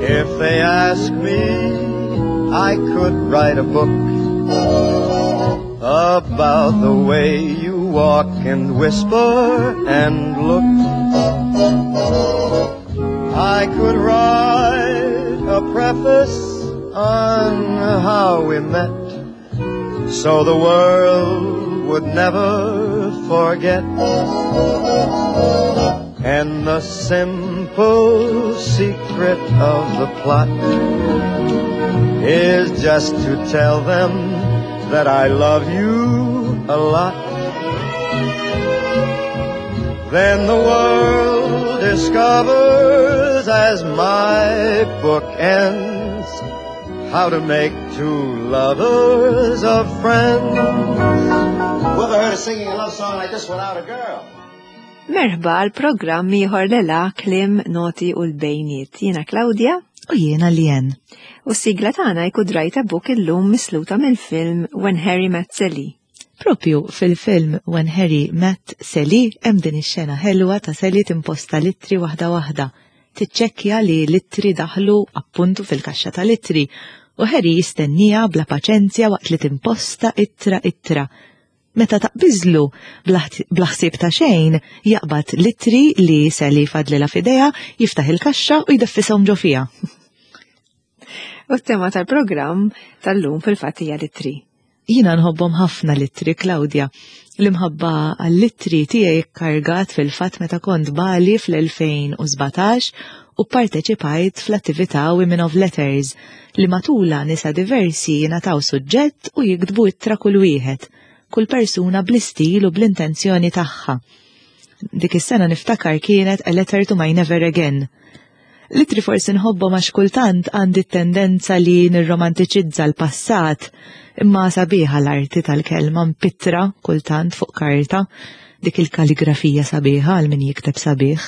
If they ask me, I could write a book about the way you walk and whisper and look. I could write a preface on how we met so the world would never forget. And the simple secret of the plot is just to tell them that I love you a lot. Then the world discovers as my book ends how to make two lovers of friends. Whoever heard of singing a love song like this without a girl? Merħba għal programm ieħor lela klim noti u l-bejniet. Jiena Claudia. U jiena Lien. U s-sigla tagħna jkun drajta buk illum misluta mill-film When Harry Met Sally. Propju fil-film When Harry Met Sally hemm din ix-xena ħelwa ta' Sally timposta litri waħda waħda. Tiċċekkja li l-ittri daħlu appuntu fil-kaxxa tal-ittri u Harry jistennija bla paċenzja waqt li timposta ittra ittra. Meta taqbiżlu bla ħsieb ta' xejn, jaqbad l-ittri li Sally fadlilha f'idejha, jiftaħ il-kaxxa u jdeffishom ġo fiha. U t-tema tal-programm tal-lum fil-fatt hija l-ittri. Jiena nħobbhom ħafna l-ittri, Claudia. L-imħabba għall-ittri tiegħi kkargat fil-fatt meta kont Bali fl-2017 u pparteċipajt fl-attività Women of Letters li matulha nisa diversi jingħataw suġġett u jiktbu ittra kull wieħed, kull persuna bl-istil u bl-intenzjoni tagħha. Dik is-sena niftakar kienet A Letter to My Never Again. L-ittri forsi nħobbhom għax kultant għandi t-tendenza li nirromantiċizza l-passat, imma sabiħa l-arti tal-kelma mpittra kultant fuq karta, dik il-kaligrafija sabiħa għal min jikteb sabiħ,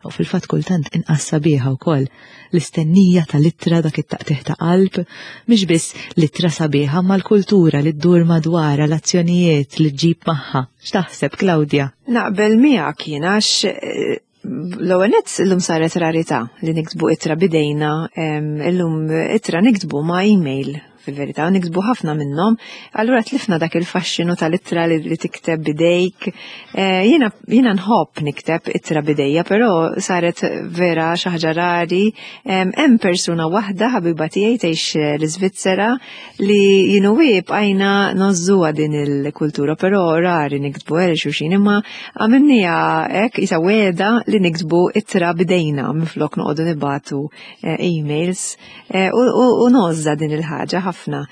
u fil-fatt kultant inqas sabiħa wkoll. L-istennija tal-ittra dak it-taqtigħ ta' qalb, mhix biss l-ittra sabiħa ma l-kultura li ddur madwarha l-azzjonijiet li ġġib magħha. X'taħseb, Claudia? Naqbel miegħek jien għax l-ewwel nett illum saret rarità li niktbu ittra bidejna, illum ittra niktbu ma' email fil-verità, niktbu ħafna minnhom, allura tlifna dak il-faxxinu tal-ittra li tikteb bidejk. Jiena nħobb nikteb ittra bidejja, però saret vera xi ħaġa rari. Hemm persuna waħda ħabiba tiegħi tgħix l-Iżvizzera li jienu bqajna nogħżuha din il-kultura, però rari niktbu għal xulxin, imma għamilniha hekk isa wegħda li niktbu ittra bidejna minflok noqogħdu nibagħtu emails u ngħożżha din il-ħaġa ħafna.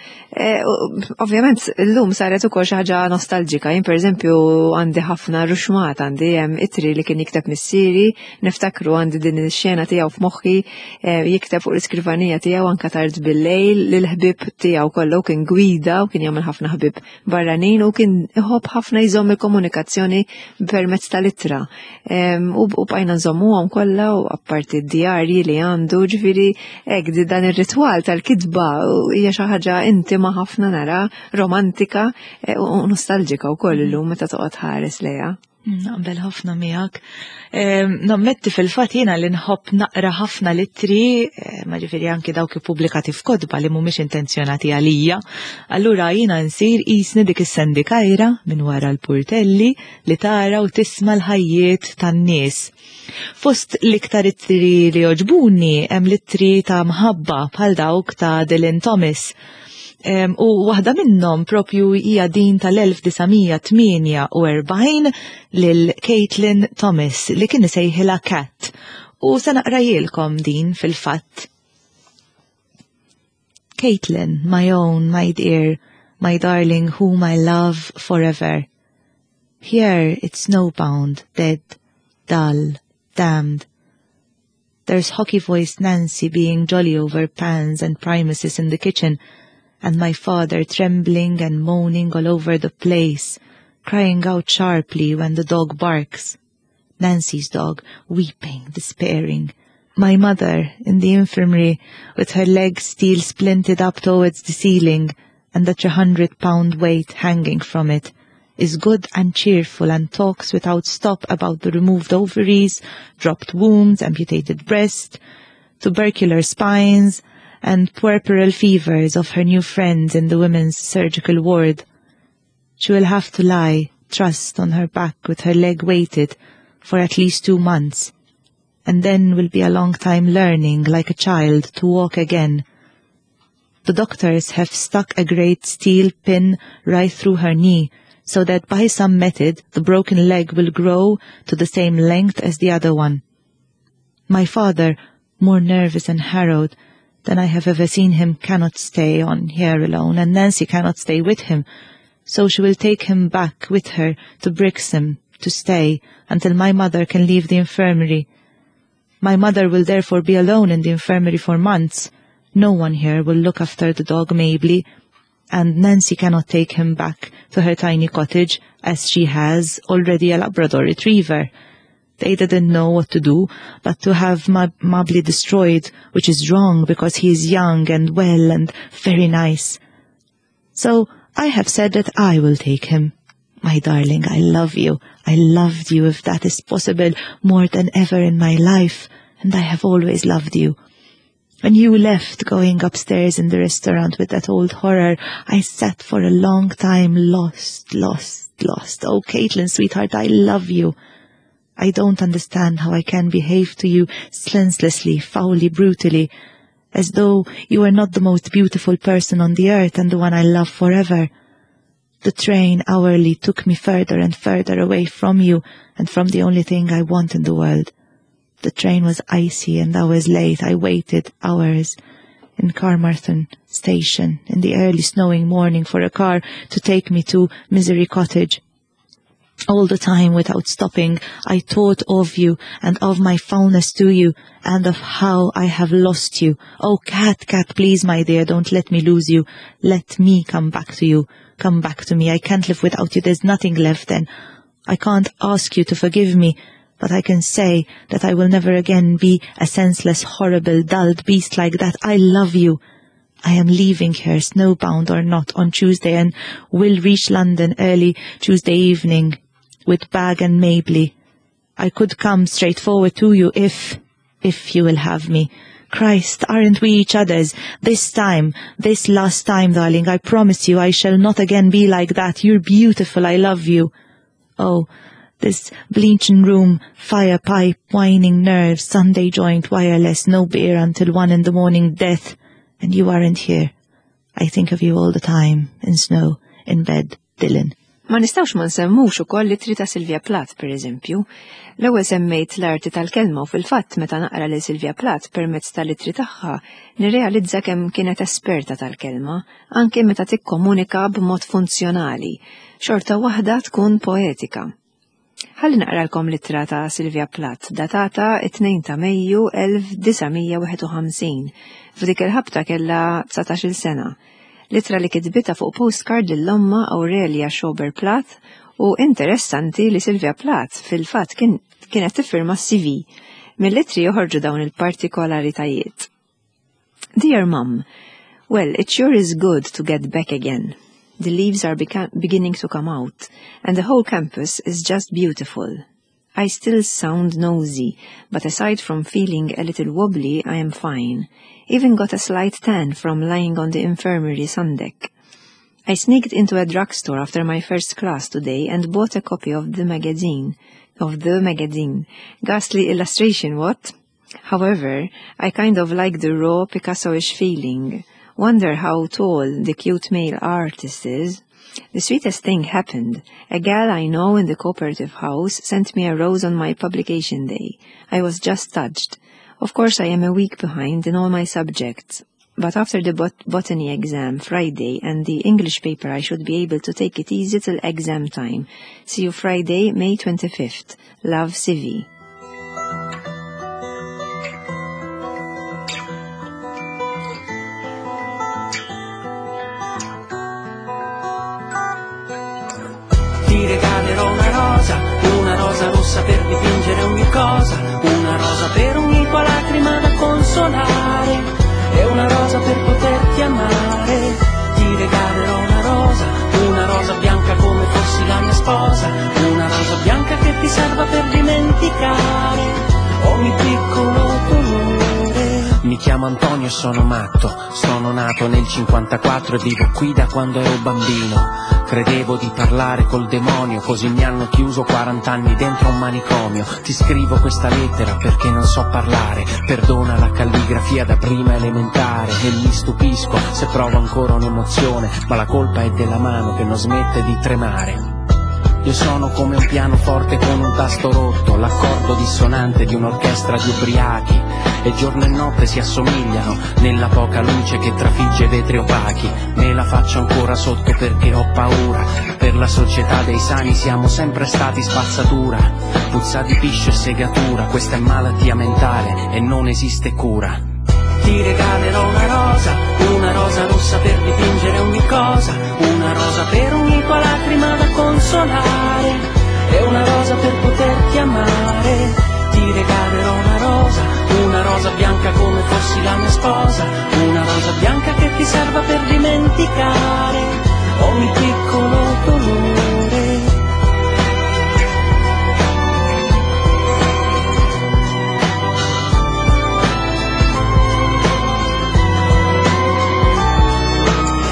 Ovvjament illum saret ukoll xi ħaġa nostalġika. Jien pereżempju għandi ħafna ruxmat, għandi hemm ittri li kien jikteb missieri, niftakru għandi din ix-xena tiegħu f'moħħi jikteb fuq l-iskrivanija tiegħu anka tard bil-lejl lill-ħbieb tiegħu kollu kien gwida u kien jagħmel ħafna ħbieb barranin u kien iħobb ħafna jżomm il-komunikazzjoni permezz tal-ittra. U bqajna nżommuhom kollha u apparti d-djarji li għandu, ġifieri hekk dan ir-ritwal tal-kitba hija xi ħaġa intima ħafna nara, romantika u nostalġika wkoll illum meta toqgħod ħares lejha. Naqbel ħafna miegħek. Nammetti fil-fatt jiena li nħobb naqra ħafna l-ittri, ma ġifieri anki dawk ippubblikati f'kotba li mhumiex intenzjonati għalija. Allura jiena nsir qisni dik is-sendikajra minn wara l-purtelli li tara u tisma' l-ħajjiet tan-nies. Fost l-iktar ittri li jogħġbuni hemm l-ittri ta' mħabba bħal dawk ta' Dylan Thomas. U waħda minnhom propju hija din tal-1948 lil Caitlin Thomas li kien isejħilha Cat. U se naqrajilkom din fil-fatt. Caitlin, my own, my dear, my darling, whom I love forever. Here it's snowbound, dead, dull, damned. There's hockey-voiced Nancy being jolly over pans and primuses in the kitchen, and my father trembling and moaning all over the place, crying out sharply when the dog barks. Nancy's dog, weeping, despairing. My mother in the infirmary, with her legs still splinted up towards the ceiling, and the 300-pound weight hanging from it, is good and cheerful and talks without stop about the removed ovaries, dropped wombs, amputated breast, tubercular spines, and puerperal fevers of her new friends in the women's surgical ward. She will have to lie, trussed on her back with her leg weighted, for at least 2 months, and then will be a long time learning, like a child, to walk again. The doctors have stuck a great steel pin right through her knee, so that by some method the broken leg will grow to the same length as the other one. My father, more nervous and harrowed than I have ever seen him, cannot stay on here alone, and Nancy cannot stay with him, so she will take him back with her to Brixham to stay until my mother can leave the infirmary. My mother will therefore be alone in the infirmary for months. No one here will look after the dog Mably, and Nancy cannot take him back to her tiny cottage, as she has already a Labrador retriever. They didn't know what to do, but to have Mably destroyed, which is wrong because he is young and well and very nice. So I have said that I will take him. My darling, I love you. I loved you, if that is possible, more than ever in my life, and I have always loved you. When you left going upstairs in the restaurant with that old horror, I sat for a long time lost, lost, lost. Oh, Caitlin, sweetheart, I love you. I don't understand how I can behave to you senselessly, foully, brutally, as though you were not the most beautiful person on the earth and the one I love forever. The train hourly took me further and further away from you and from the only thing I want in the world. The train was icy and I was late. I waited hours in Carmarthen station in the early snowing morning for a car to take me to Misery Cottage. All the time, without stopping, I thought of you and of my foulness to you and of how I have lost you. Oh, Cat, Cat, please, my dear, don't let me lose you. Let me come back to you. Come back to me. I can't live without you. There's nothing left then. I can't ask you to forgive me, but I can say that I will never again be a senseless, horrible, dulled beast like that. I love you. I am leaving here, snowbound or not, on Tuesday and will reach London early Tuesday evening with Bag and Mably. I could come straight forward to you if you will have me. Christ, aren't we each other's? This time, this last time, darling, I promise you I shall not again be like that. You're beautiful, I love you. Oh, this bleaching room, fire pipe, whining nerves, Sunday joint, wireless, no beer until 1 in the morning, death, and you aren't here. I think of you all the time, in snow, in bed, Dylan. Ma nistgħux ma nsemmux ukoll l-ittri ta' Sylvia Plath, per eżempju. L-ewwel semmejt l-arti tal-kelma u fil-fatt meta naqra lil Sylvia Plath permezz tal-ittri tagħha nirrealizza kemm kienet esperta tal-kelma, anke meta tikkomunika b'mod funzjonali, xorta waħda tkun poetika. Ħalli naqralkom l-ittra ta' Sylvia Plath, datata 2 ta' Mejju 1951. F'dik il-ħabta kellha 19 sena. L-ittra li kitbitha fuq postcard lil ommha Aurelia Schober Plath u interessanti li Sylvia Plath fil-fatt kienet tiffirma CV. Mill-ittri joħorġu dawn il-partikolaritajiet. Dear Mum, well, it sure is good to get back again. The leaves are beginning to come out, and the whole campus is just beautiful. I still sound nosy, but aside from feeling a little wobbly, I am fine. Even got a slight tan from lying on the infirmary sundeck. I sneaked into a drugstore after my first class today and bought a copy of the magazine. Of the magazine. Ghastly illustration, what? However, I kind of like the raw Picasso-ish feeling. Wonder how tall the cute male artist is. The sweetest thing happened. A gal I know in the cooperative house sent me a rose on my publication day. I was just touched. Of course, I am a week behind in all my subjects. But after the botany exam Friday and the English paper, I should be able to take it easy till exam time. See you Friday, May 25th. Love, Sivy. Ti regalerò una rosa rossa per dipingere ogni cosa, una rosa per ogni tua lacrima da consolare, e una rosa per poterti amare. Ti regalerò una rosa bianca come fossi la mia chiamo Antonio e sono matto. Sono nato nel 54 e vivo qui da quando ero bambino. Credevo di parlare col demonio, così mi hanno chiuso 40 anni dentro un manicomio. Ti scrivo questa lettera perché non so parlare. Perdona la calligrafia da prima elementare e mi stupisco se provo ancora un'emozione, ma la colpa è della mano che non smette di tremare. Io sono come un pianoforte con un tasto rotto, l'accordo dissonante di un'orchestra di ubriachi. E giorno e notte si assomigliano nella poca luce che trafigge vetri opachi. Me la faccio ancora sotto perché ho paura. Per la società dei sani siamo sempre stati spazzatura. Puzza di piscio e segatura, questa è malattia mentale e non esiste cura. Ti regalerò una rosa rossa per dipingere ogni cosa, una rosa per ogni tua lacrima da consolare, e una rosa per poterti amare. Ti regalerò una rosa bianca come fossi la mia sposa, una rosa bianca che ti serva per dimenticare ogni piccolo dolore.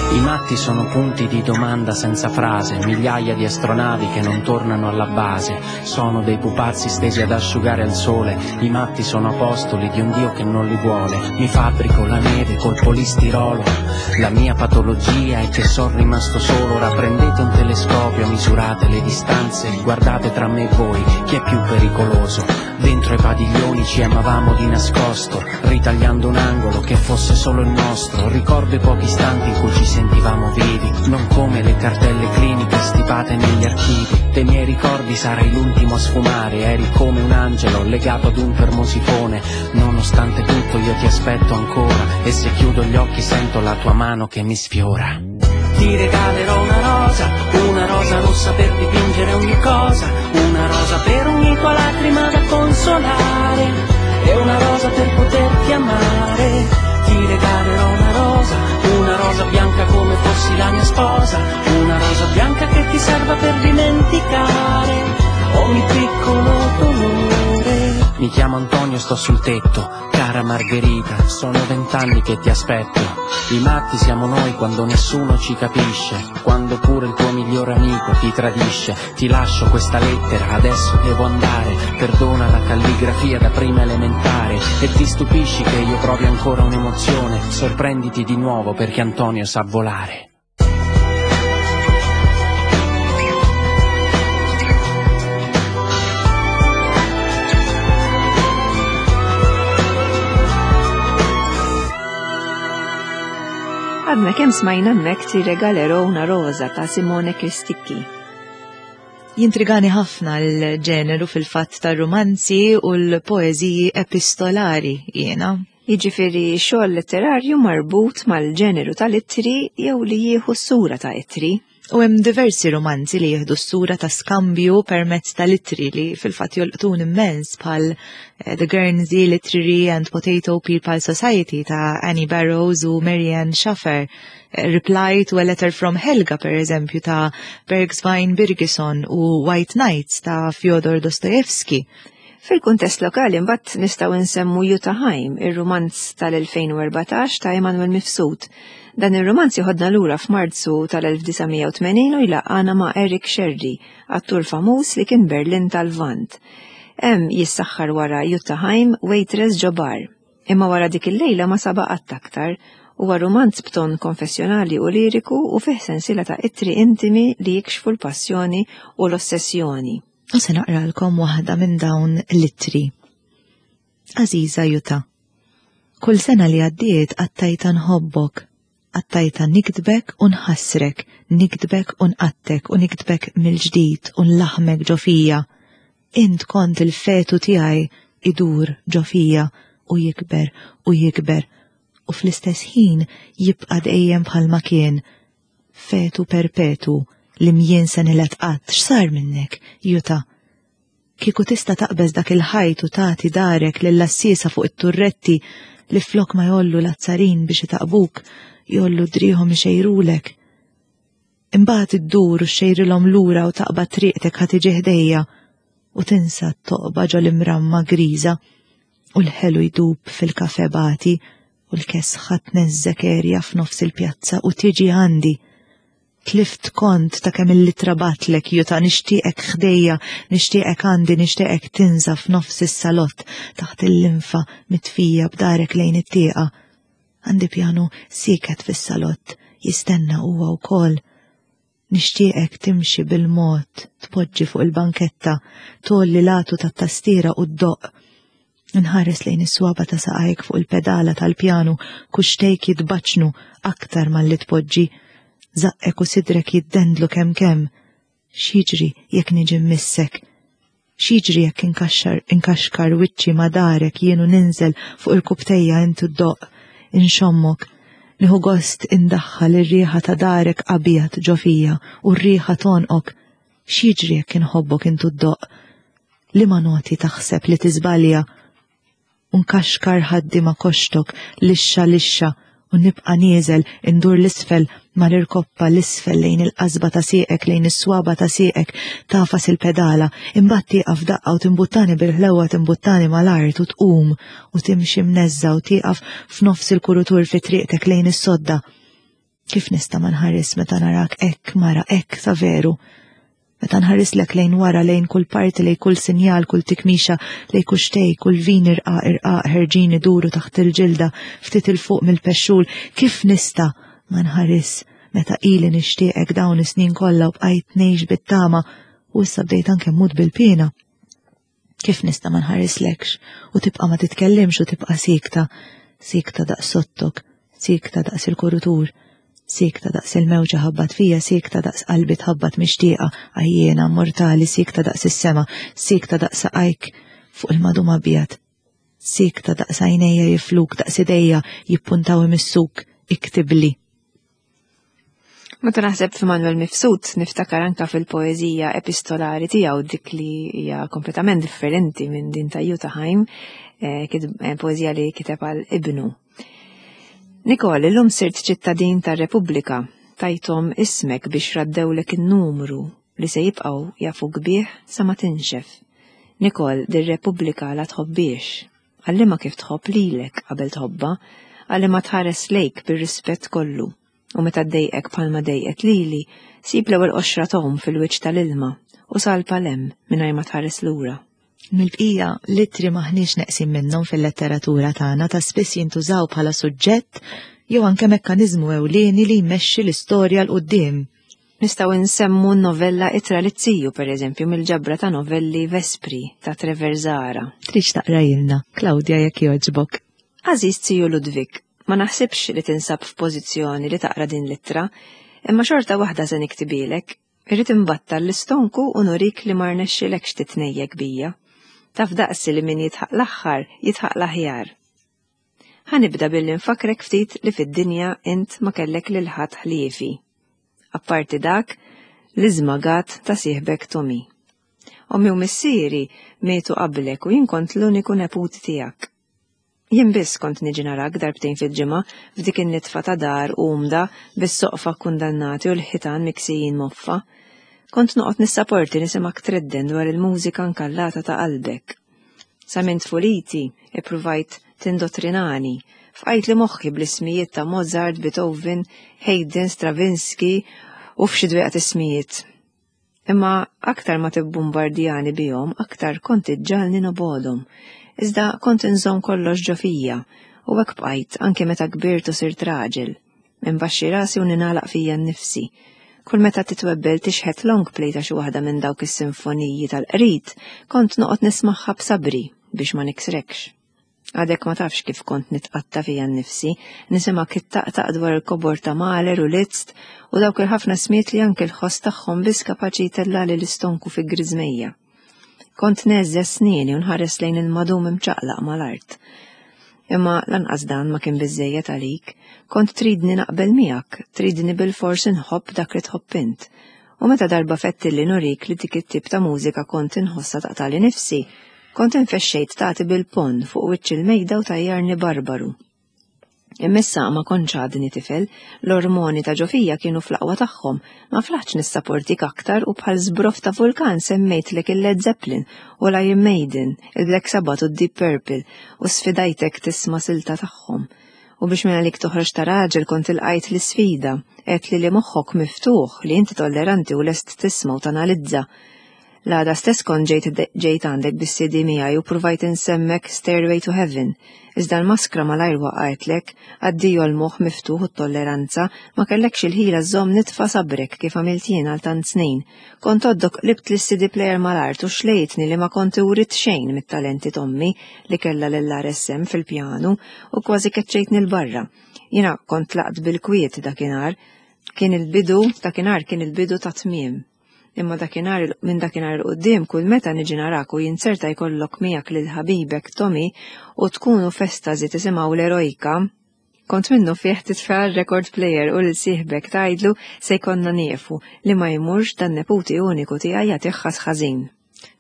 I matti sono punti di domanda senza frase, migliaia di astronavi che non tornano alla base, sono dei pupazzi stesi ad asciugare al sole, i matti sono apostoli di un Dio che non li vuole, mi fabbrico la neve col polistirolo, la mia patologia è che son rimasto solo, ora prendete un telescopio, misurate le distanze, guardate tra me e voi chi è più pericoloso, dentro i padiglioni ci amavamo di nascosto, ritagliando un angolo che fosse solo il nostro, ricordo i pochi istanti in cui ci sentivamo vivi, non come le cartelle cliniche stipate negli archivi. Dei miei ricordi sarai l'ultimo a sfumare, eri come un angelo legato ad un termosifone. Nonostante tutto io ti aspetto ancora, e se chiudo gli occhi sento la tua mano che mi sfiora. Ti regalerò una rosa rossa per dipingere ogni cosa, una rosa per ogni tua lacrima da consolare, e una rosa per poterti amare. Ti regalerò una rosa bianca come fossi la mia sposa, una rosa bianca che ti serva per dimenticare ogni piccolo dolore. Mi chiamo Antonio, sto sul tetto, cara Margherita, sono 20 anni che ti aspetto. I matti siamo noi quando nessuno ci capisce, quando pure il tuo migliore amico ti tradisce. Ti lascio questa lettera, adesso devo andare, perdona la calligrafia da prima elementare. E ti stupisci che io provi ancora un'emozione, sorprenditi di nuovo perché Antonio sa volare. Għadna kemm smajna hemmhekk Ti regalerò una rosa ta' Simone Cristicchi. Jintrigani ħafna l-ġeneru fil-fatt tar-rumanzi u l-poeżiji epistolari jiena. Jiġifieri xogħol letterarju marbut mal-ġeneru tal-ittri jew li jieħu s-sura ta' ittri. U hemm diversi romanzi li jieħdu s-sura ta' skambju permezz tal-ittri li fil-fatt jolqtun immens bħal The Guernsey Literary and Potato People Society ta' Annie Barrows u Marianne Schaffer, Reply to a Letter from Helga per eżempju ta' Bergsvein Birgisson u White Nights ta' Fyodor Dostoevsky. Fil-kuntest lokali mbagħad nistgħu nsemmu Jutta Heim, ir-rumanz tal-2014 ta' Emanuel Mifsud. Dan ir-rumanz joħodna lura f'Marzu tal-1980 u jlaqqana ma' Eric Scerri, attur famuż li kien Berlin tal-Lvant. Hemm jissaħħar wara Jutta Heim, waitress ġo bar. Imma wara dik il-lejla ma saba qatt aktar. Huwa rumanz b'ton konfessjonali u liriku u fih sensiela ta' ittri intimi li jikxfu l-passjoni u l-ossessjoni. U se naqralkom waħda minn dawn l-ittri. Aziza Jutta, kull sena li għaddiet qattajta nħobbok, qattajta niktbek u nħassrek, niktbek u nqattek u niktbek mill-ġdid u nlaħmek ġo fija. Int kont il-fetu tiegħi idur ġo fija u jikber u jikber u fl-istess ħin jibqa' dejjem bħalma kien. Fetu perpetu li mjien se nilet qatt, x'sar minnek, Jutta? Kieku tista' taqbeż dak il-ħajt u tagħti darek lill-assisa fuq it-turretti li flok ma jollu l-azzarin biex itaqbuk, jollu driħom ixejrulek. Imbagħad iddur u xejrilhom lura u taqbad triqtek ħa tiġi ħdejja u tinsa t-toqba ġol imramma griża u l-ħelu jdub fil-kafe bati. U l-kesħa tneżżek erja f'nofs il-pjazza u tiġi għandi. Tlift kont ta' kemm il-litra batlek juta nixtieqek ħdejja, nixtieqek għandi, nixtieqek tinża f'nofs is-salott taħt il-linfa mitfija b'darek lejn it-tieqa. Għandi pjanu sieket fis-salott, jistenna huwa wkoll. Nixtieqek timxi bil-mod, tpoġġi fuq il-banketta, tgħolli l-għatu tat-tastiera u ddoqq. Nħares lejn is-swaba ta' saqajk fuq il-pedala tal-pjanu, kuxtejk jitbaċnu aktar malli tpoġġi. Żaqqek u sidrek jiddendlu kemm kemm. X'jiġri jekk niġi mmissek? X'jiġri jekk inkaxxar inkaxkar wiċċi ma' darek jien u ninżel fuq irkubtejja int u ddoqq, inxommok. Nieħu gost indaħħal ir-riħa ta' darek abjad ġo fija u r-riħa t'għonqok. X'jiġri jekk inħobbok int u ddoqq? Liema noti taħseb li tiżbalja? U nkaxkar ħaddi ma' koxtok, lixxa lixxa, u nibqa' nieżel indur l-isfel mal-irkoppa l-isfel lejn il-qasba ta' sieqek lejn is-swaba ta' sieqek tagħfas il-pedala, imbagħad tieqaf daqqa u timbuttani bil-ħlewwa timbuttani mal-art u tqum u timxi mneżża u tieqaf f'nofs il-kurutur fi triqtek lejn is-sodda. Kif nista' ma nħares meta narak hekk mara hekk sa veru? Meta nħarislek lejn wara lejn kull parti lejn kull sinjal, kull tikmixa, lejn kuxtej, kull vin irqaq irqaq ħerġin iduru taħt il-ġilda ftit il fuq mill-pexxul, kif nista' ma nħares meta ili nixtieqek dawn is-snin kollha u bqajt ngħix bit-tama u issa bdejt anke mmut bil-piena. Kif nista' ma nħarislekx u tibqa' ma titkellimx u tibqa' siekta, siekta daqs sottok, siekta daqs il-kurutur, siekta daqs il-mewġa ħabbat fija, siekta daqs qalbi tħabbat mixtieqa, għajjiena, mortali, siekta daqs is-sema, siekta daqs saqajk fuq il-madum abjad. Siekta daqs għajnejja jifluk, daqs idejja jippuntaw imissuk, iktibli. Meta naħseb f'Manuel Mifsud, niftakar anka fil-poeżija epistolari tiegħu dik li hija kompletament differenti minn din ta' Jutta Heim, eh, eh, poeżija li kiteb għal ibnu. Nikol, illum sirt ċittadin tar-Repubblika, tajthom ismek biex raddewlek in-numru li se jibqgħu jafuk bih sa ma tinxef. Nikol, dir-Repubblika la tħobbiex, Għallimha kif tħobb lilek qabel tħobbha, għallimha tħares lejk bir-rispett kollu. U meta ddejqek bħalma dejqet lili, sib l-ewwel qoxra tgħum fil-wiċċ tal-ilma u salpa 'l hemm mingħajr ma tħares lura. Mill-bqija, l-ittri m'aħniex neqsin minnhom fil-letteratura tagħna ta' spiss jintużaw bħala suġġett jew anke mekkaniżmu ewlieni li jmexxi l-istorja 'l quddiem. Nistgħu nsemmu n-novella Ittra lit-Tiju, pereżempju, mill-ġabra ta' novelli Vespri ta' Trevor Zahra. Tridx taqrajilna, Claudia jekk jogħġbok. Għażiż Tiju Ludwig, ma naħsibx li tinsab f'pożizzjoni li taqra din l-ittra, imma xorta waħda se niktibilek. Irrid inbattal l-istonku u nurik li ma rnexxilekx titnejjek bija. Taf daqsi li min jidħaq l-aħħar, jidħaq l-aħjar. Ħa nibda billi nfakkrek ftit li fid-dinja int ma kellek lil ħadd ħliefi. Apparti dak, l-iżmagat ta' sieħbek Tommy. Ommi u missieri mietu qablek u jien kont l-uniku neputi tiegħek. Jien biss kont niġi narak darbtejn fil-ġimgħa f'dik in-nitfa ta' dar umda bis-soqfa kkundannati u l-ħitan miksijin moffa. Kont noqgħod nissaporti nisimgħek tredden dwar il-mużika nkallata ta' qalbek. Sa minn tfuliti ippruvajt tindottrinani. Fqajtli moħħi bl-ismijiet ta' Mozart, Beethoven, Haydn, Stravinsky u f'xi dwieqat ismijiet. Imma aktar ma tibbumbardjani bihom, aktar kont iġġagħalni nobgħodhom. Iżda kont inżomm kollox ġo fija, u hekk bqajt anke meta kbirt u sirt raġel. Inbaxxi rasi u ningħalaq fija nnifsi. Kull meta titwebbel tixħet long play ta' xi waħda minn dawk is-sinfoniji tal-qrid, kont noqgħod nismagħha b'sabri biex ma niksrekx. Għadek ma tafx kif kont nitqatta' fija nnifsi, nisimgħek ittaqtaq dwar il-kobor ta' Mahler u Liszt u dawk il-ħafna smiet li anke l-ħoss tagħhom biss kapaċi jtellagħli l-istonku fi griżmejja. Kont ngħeżżeż snieni u nħares lejn il-madum imċaqlaq mal-art. Imma lanqas dan ma kien biżżejjed għalik. Kont tridni naqbel miegħek, tridni bilfors inħobb dak li tħobb int. U meta darba fettilli nurik li dik it-tip ta' mużika kont inħossha taqtagħli nifsi, kont infexxejt tagħti bil-ponn fuq wiċċ il-mejda u tgħajjarni barbaru. Imma issa ma kontx għadni tifel, l-ormoni ta' ġo fija kienu fl-aqwa tagħhom, ma flaħtx nissaportik aktar u bħal żbroff ta' vulkan semmejtlek il-Led Zeppelin u l-Iron Maiden, il-Black Sabbath u d-Deep Purple u sfidajtek tisma' silta tagħhom. U biex minn għalik toħroġ ta' raġel kont ilqajt l-isfida, għedtli li moħħok miftuħ, li inti tolleranti u lest tisma' u tanalizza. L-għada stess kont ġejt ġejt għandek bis-CD miegħi u pruvajt insemmek Stairway to Heaven. Iżda l-maskra malajr waqgħetlek, addio l-moħħ miftuħ u t-tolleranza, ma kellekx il-ħila żżomm nitfa sabrek kif għamilt jien għal tant snin. Kont għoddok qlibt lis-CD player mal-art u xlejtni li ma kont iwritt xejn mit-talenti t'ommi li kellha lill-RSM fil-pjanu u kważi keċċejtni 'l barra. Jiena kont tlaqt bil-kwiet dakinhar. Kien il-bidu, dakinhar kien il-bidu tat-tmiem. Imma dakinhar minn dakinhar 'il quddiem kull meta niġi narak u jinzerta jkollok miegħek lil ħabibek Tommy u tkunu f'estasi tisimgħu l-Eroica, kont minnufih titfa' r-record player u lil sieħbek tgħidlu se jkollna nieqfu li ma jmurx dan neputi uniku tiegħi jagħtih ħass ħażin.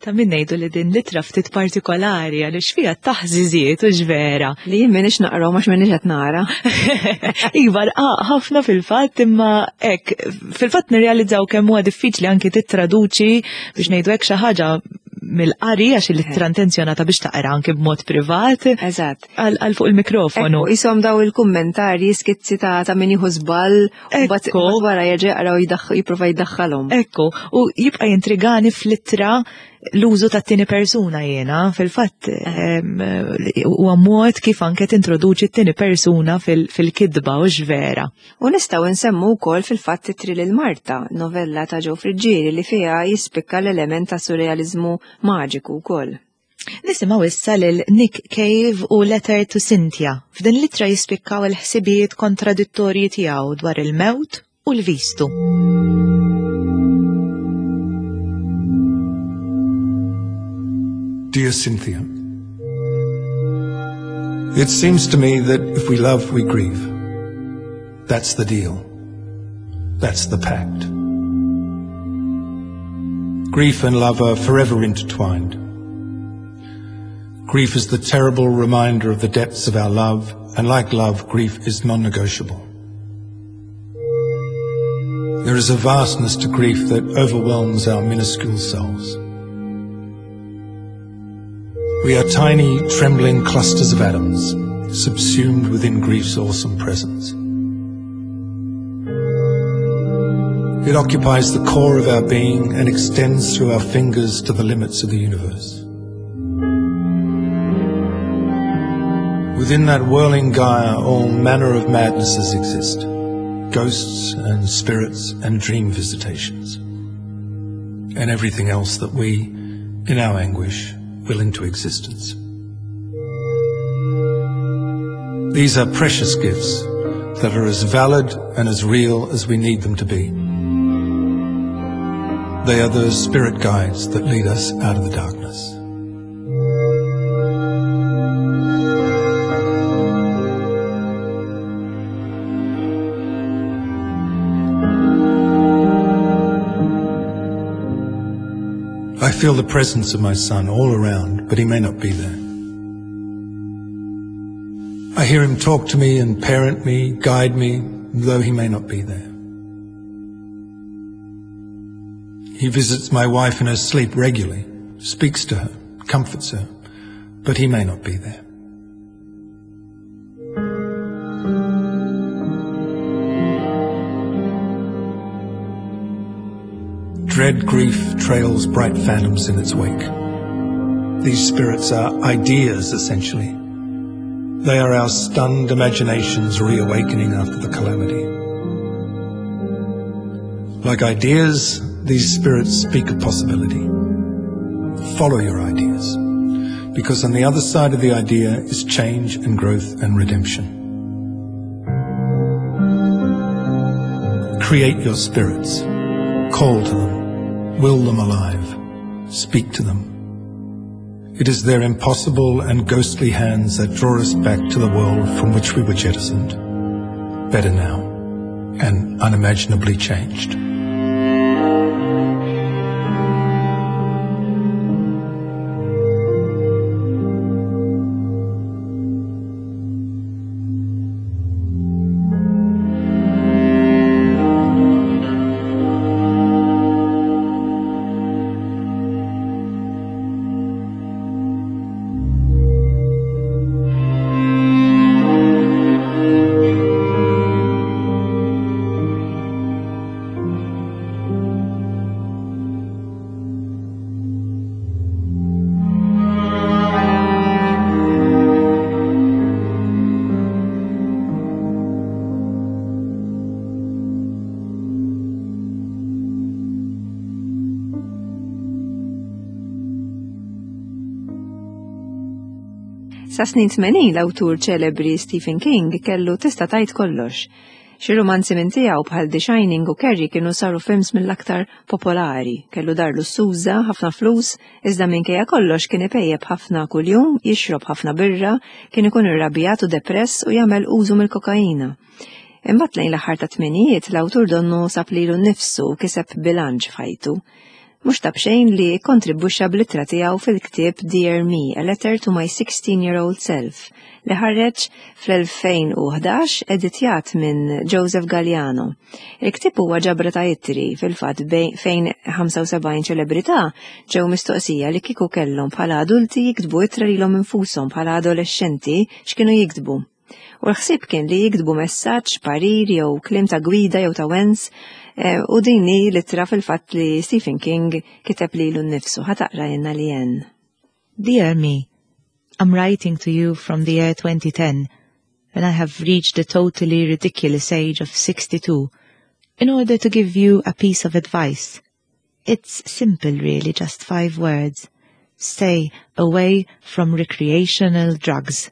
Ta' min ngħidu li din l-ittra ftit partikolari għaliex fiha taħżiżiet u ġvera. Li jien m'iniex naqrahom għax m'iniex qed nara. Iva, rqaq ħafna fil-fatt imma hekk fil-fatt nirrealizzaw kemm huwa diffiċli anki tittraduċi biex ngħidu hekk xi ħaġa mill-qari għax l-ittra intenzjonata biex taqra anki b'mod privat. Eżatt. Għal fuq il-mikrofonu. Isom daw il-kummentarji skizzi ta' min jieħu żball Ekku. Wara jerġa' jaqra u jipprova jdaħħalhom. Ekku, u jibqa' jintrigani fl-ittra l-użu tat-tieni persuna jiena, fil-fatt eh. huwa mod kif anke tintroduċi t-tieni persuna fil-kitba u x'vera. U nistgħu nsemmu wkoll fil-fatt Titri lil Marta, novella ta' Joe Friggieri li fiha jispikka l-element ta' surrealiżmu maġiku wkoll. Nisimgħu issa lil Nick Cave u Letter to Cynthia. F'din l-ittra jispikkaw il-ħsibijiet kontradittorji tiegħu dwar il-mewt u l-vistu. Dear Cynthia, It seems to me that if we love, we grieve. That's the deal. That's the pact. Grief and love are forever intertwined. Grief is the terrible reminder of the depths of our love, and like love, grief is non-negotiable. There is a vastness to grief that overwhelms our minuscule selves. We are tiny, trembling clusters of atoms, subsumed within grief's awesome presence. It occupies the core of our being and extends through our fingers to the limits of the universe. Within that whirling gyre, all manner of madnesses exist ghosts and spirits and dream visitations, and everything else that we, in our anguish, will into existence. These are precious gifts that are as valid and as real as we need them to be. They are the spirit guides that lead us out of the darkness. I feel the presence of my son all around, but he may not be there. I hear him talk to me and parent me, guide me, though he may not be there. He visits my wife in her sleep regularly, speaks to her, comforts her, but he may not be there. Dread grief trails bright phantoms in its wake. These spirits are ideas, essentially. They are our stunned imaginations reawakening after the calamity. Like ideas, these spirits speak of possibility. Follow your ideas, because on the other side of the idea is change and growth and redemption. Create your spirits. Call to them. Will them alive. Speak to them. It is their impossible and ghostly hands that draw us back to the world from which we were jettisoned. Better now, and unimaginably changed. Sa snin 80 l-awtur ċelebri Stephen King kellu tista' tgħid kollox. Xi rumanzi minn tiegħu bħal The Shining u Carrie kienu saru films mill-aktar popolari. Kellu dar lussuża, ħafna flus, iżda minkejja kollox kien ipejjep ħafna kuljum, jixrob ħafna birra, kien ikun irrabjat u depress u jagħmel użu mill-kokaina. Imbagħad lejn l-aħħar tat-tmenijiet l-awtur donnu sab lilu nnifsu u kiseb bilanċ f'ħajtu. Mhux ta' b'xejn li kkontribwixxa bl-ittra tiegħu fil-ktieb Dear Me, A Letter to My 16-Year-Old Self li ħareġ fl-2011 editjat minn Joseph Galliano. Il-ktieb huwa ġabra ta' ittri fil-fatt fejn 75 ċelebrità ġew mistoqsija li kieku kellhom bħala adulti jiktbu ittra lilhom infushom bħala adolexxenti x'kienu jiktbu. U l-ħsieb kien li jiktbu messaġġ, parir jew kliem ta' gwida jew ta' wens eh, u din hi l-ittra fil-fatt li Stephen King kiteb lilu nnifsu. Ħa taqra jenna li jen. Dear me, I'm writing to you from the year 2010 when I have reached the totally ridiculous age of 62 in order to give you a piece of advice. It's simple really, just five words. Stay away from recreational drugs.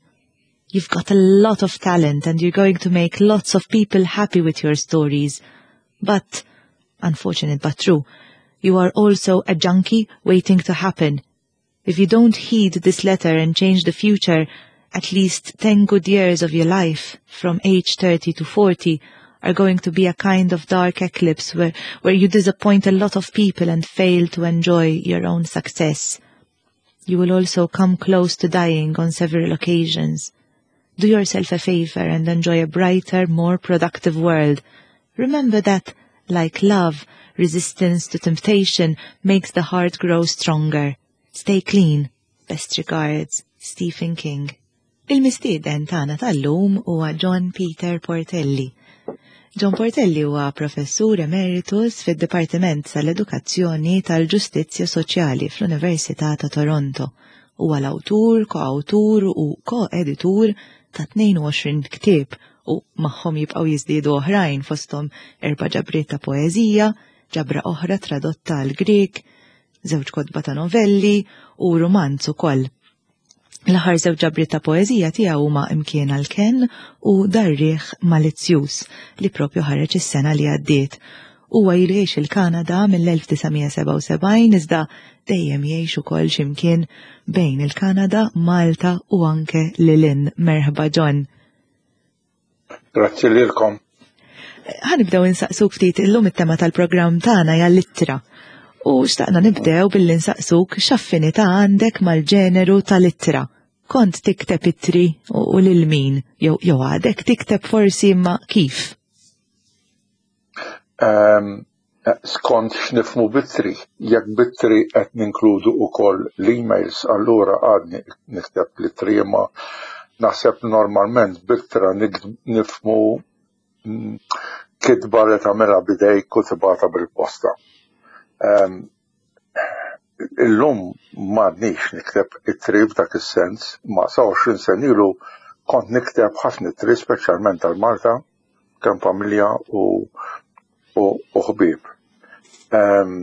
You've got a lot of talent and you're going to make lots of people happy with your stories. But, unfortunate but true, you are also a junkie waiting to happen. If you don't heed this letter and change the future, at least 10 good years of your life, from age 30 to 40, are going to be a kind of dark eclipse where, where you disappoint a lot of people and fail to enjoy your own success. You will also come close to dying on several occasions. Do yourself a favor and enjoy a brighter, more productive world. Remember that, like love, resistance to temptation makes the heart grow stronger. Stay clean. Best regards, Stephen King. Il-mistieden tagħna tal-lum huwa John Peter Portelli. John Portelli huwa professur emeritus fid-Dipartiment tal-Edukazzjoni tal-Ġustizzja Soċjali fl-Università ta' Toronto. Huwa l-awtur, koawtur u ko-editur ta' 22 ktieb u magħhom jibqgħu jiżdiedu oħrajn fosthom erba' ġabriet ta' poeżija, ġabra oħra tradotta għal Grieg, żewġ kotba ta' novelli u rumanz ukoll. L-aħħar żewġ ġabriet ta' poeżija tiegħu huma Imkien għal Ken u Dar-Riħ Malizzjuż li propju ħareġ is-sena li għaddiet. Huwa ilu jgħix il-Kanada mill-1977 iżda dejjem jgħix ukoll x'imkien bejn il-Kanada, Malta u anke lil hinn. Merħba John. Grazzi lilkom. Ħanibdew insaqsuk ftit illum it-tema tal-programm tagħna hija l-ittra. U xtaqna nibdew billi nsaqsuk x'affinità għandek mal-ġeneru tal-ittra. Kont tikteb ittri u lil min jew jew għadek tikteb forsi imma kif? Ehm, skont x'nifhmu b'ittri, jekk b'ittri qed ninkludu wkoll l-emails allura għadni nikteb l-ittri imma naħseb normalment b'ittra nifhmu mm, kitba li tagħmilha b'idejk u tibgħatha bil-posta. Ehm, illum m'għadnix nikteb ittri f'dak is-sens, ma sa 20 sen ilu kont nikteb ħafna ittri speċjalment għal Malta kemm familja u u ħbieb. Ehm,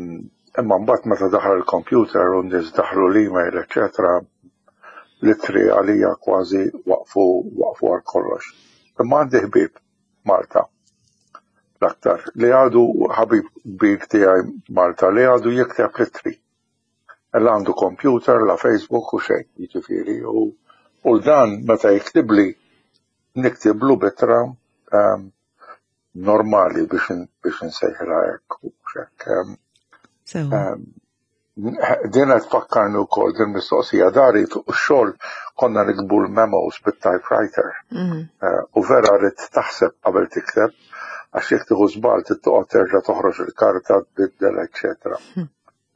imma mbagħad meta daħal il-computer u n-nies daħlu l-email, eċetera, l-ittri għalija kważi waqfu waqfu għal kollox. Imma għandi ħbieb Malta l-aktar li għadu ħabib kbir tiegħi Malta li għadu jikteb l-ittri. La għandu computer, la Facebook u xejn, jiġifieri u u dan meta jiktibli niktiblu b'ittra ehm, normali biex biex insejħilha hekk u hekk. Ehm, ehm, din qed tfakkarni wkoll din mistoqsija dari fuq ix-xogħol konna nikbu l-memos bit-typewriter. Mm. Eh, u vera rrid taħseb qabel tikteb għax jekk tieħu żball trid toqgħod terġa' toħroġ il-karta tbiddel eċċetera. Hmm.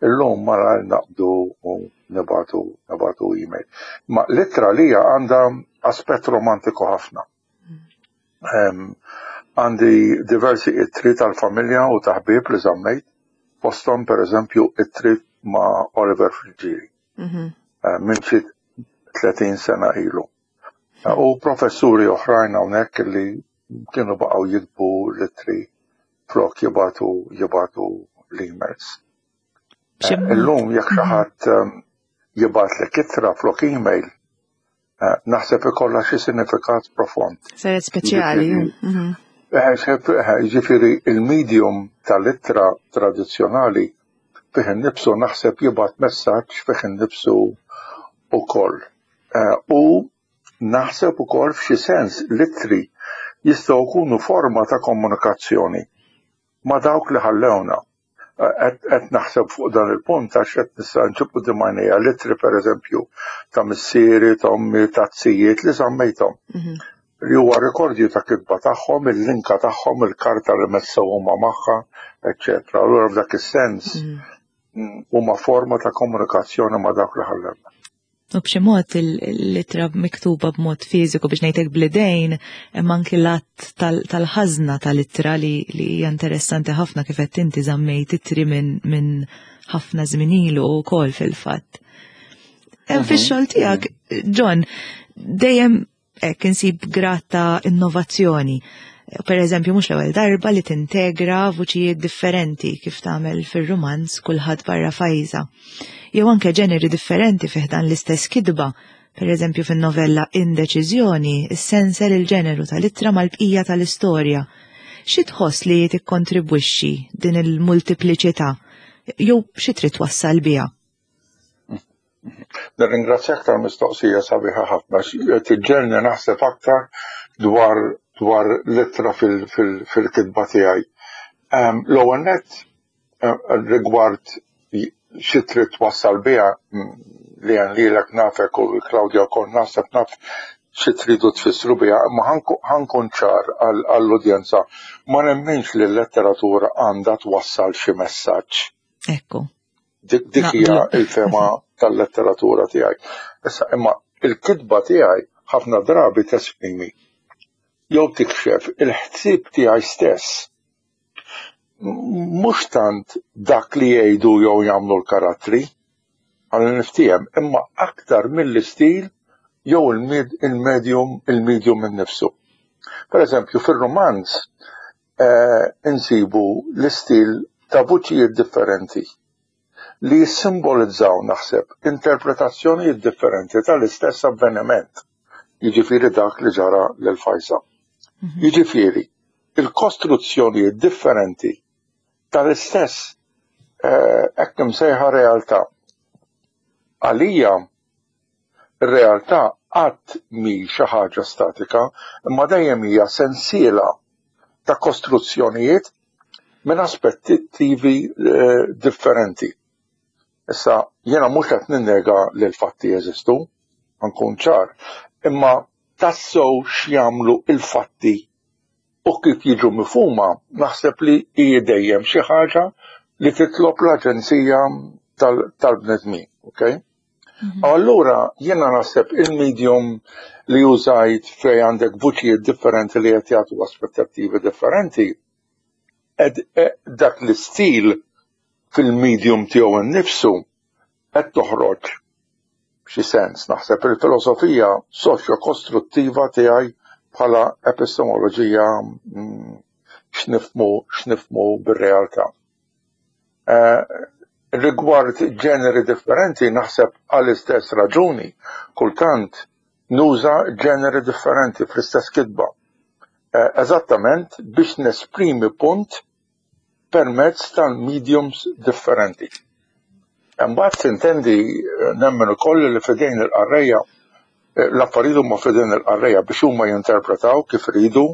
Illum malajr naqbdu u nibagħtu nibagħtu email. Ma l-ittra lija għandha aspett romantiku ħafna. Għandi diversi ittri tal-familja u ta' ħbieb li żammejt, fosthom pereżempju ittri ma' Oliver Friggieri mhm. eh, minn xi 30 sena ilu. Eh, u professuri oħrajn hawnhekk li kienu baqgħu jiktbu l-ittri flok jibatu jibatu l-emails. Eh, illum jekk xi mhm. ħadd ehm, jibgħatlek ittra flok email, Eh, naħseb ikollha xi sinifikat profond. Saret speċjali. Mhm. Eh, eh, ġifieri il-medium tal-ittra tradizzjonali fih innifsu naħseb jibgħat messaġġ fih innifsu ukoll. U naħseb ukoll f'xi sens l-ittri jistgħu jkunu forma ta' komunikazzjoni ma' dawk li ħallewna. Qed naħseb fuq dan il-punt għax qed nista' nġib quddiem għajnejja l-ittri pereżempju ta' missieri, ta' ommi, ta' zijiet li żammejthom. Mhm. Li huwa rekordju ta' kitba tagħhom, il-linka tagħhom, il-karta li messew huma magħha, eċċetera. Allura f'dak is-sens mhm. huma forma ta' komunikazzjoni ma' dawk li ħallewna. U b'xi mod l-ittra miktuba b'mod fiżiku biex ngħidlek bl-idejn, imma anki l-att tal-ħażna tal-ittra li hija interessanti ħafna kif qed inti żammejt ittri minn ħafna żmien ilu wkoll fil-fatt. Hemm mhm. fix-xogħol tiegħek, John, dejjem hekk insib grad ta' innovazzjoni. Per eżempju, mhux l-ewwel darba li tintegra vuċijiet differenti kif tagħmel fir-rumanz kulħadd barra fajża. Jew anke ġeneri differenti fih dan l-istess kitba. Per eżempju, fin-novella Indeċiżjoni, issensel il-ġeneru tal-ittra mal-bqija tal-istorja. Xi tħoss li tikkontribwixxi din il-multipliċità jew xi trid twassal biha? Nirringrazzjak tal-mistoqsija sabiħa ħafna. Tiġġelni naħseb aktar dwar dwar l-ittra fil-kitba tiegħi. Ehm, l-ewwel nett eh, rigward xi trid twassal biha mm, li għan lilek nafek u Claudia wkoll naħseb naf xi tridu tfissru biha, imma ħankun ċar għall-udjenza. Ma nemminx li l-letteratura għandha twassal xi messaġġ. Ekku. Dik hija l-fema tal-letteratura tiegħi. Issa imma il-kitba tiegħi ħafna drabi tesprimi jew tikxef il-ħsieb tiegħi stess. Mhux tant dak li jgħidu jew jagħmlu l-karattri, għal niftiehem, imma aktar mill-istil jew il-medium il-medium innifsu. Per eżempju, fir-rumanz eh, insibu l-istil ta' vuċijiet differenti li jissimbolizzaw naħseb interpretazzjonijiet differenti tal-istess avveniment, jiġifieri dak li ġara lil Fajsa. Mhm. Jiġifieri, il-kostruzzjonijiet differenti tal-istess eh, hekk imsejħa realtà. Għalija Ir-realtà qatt mhi xi ħaġa statika, imma dejjem hija sensiela ta' kostruzzjonijiet minn aspettattivi eh, differenti. Issa, jiena mhux qed ninnega li l-fatti jeżistu, nkun ċar, imma tassew x'jagħmlu il-fatti u kif jiġu mifhuma naħseb li hi dejjem xi ħaġa li titlob l-aġenzija tal-bnedmin, okay? Mhm. Allura jiena naħseb il-medium li użajt fej għandek vuċijiet differenti li qed jagħtu aspettattivi differenti, ed e, dak l-istil fil-medium tiegħu nnifsu qed toħroġ f'xi sens naħseb il-filosofija soċjo-kostruttiva tiegħi bħala epistemoloġija mm, x'nifhmu x'nifhmu bir-realtà. Eh, rigward ġeneri differenti naħseb għall-istess raġuni kultant nuża ġeneri differenti fl-istess kitba. Eh, eżattament biex nesprimi punt permezz tal-mediums differenti. Imbagħad tintendi eh, nemmen ukoll li fidejn il-qarrejja eh, l-affarijiet huma fidejn il-qarrejja biex huma jinterpretaw kif ridu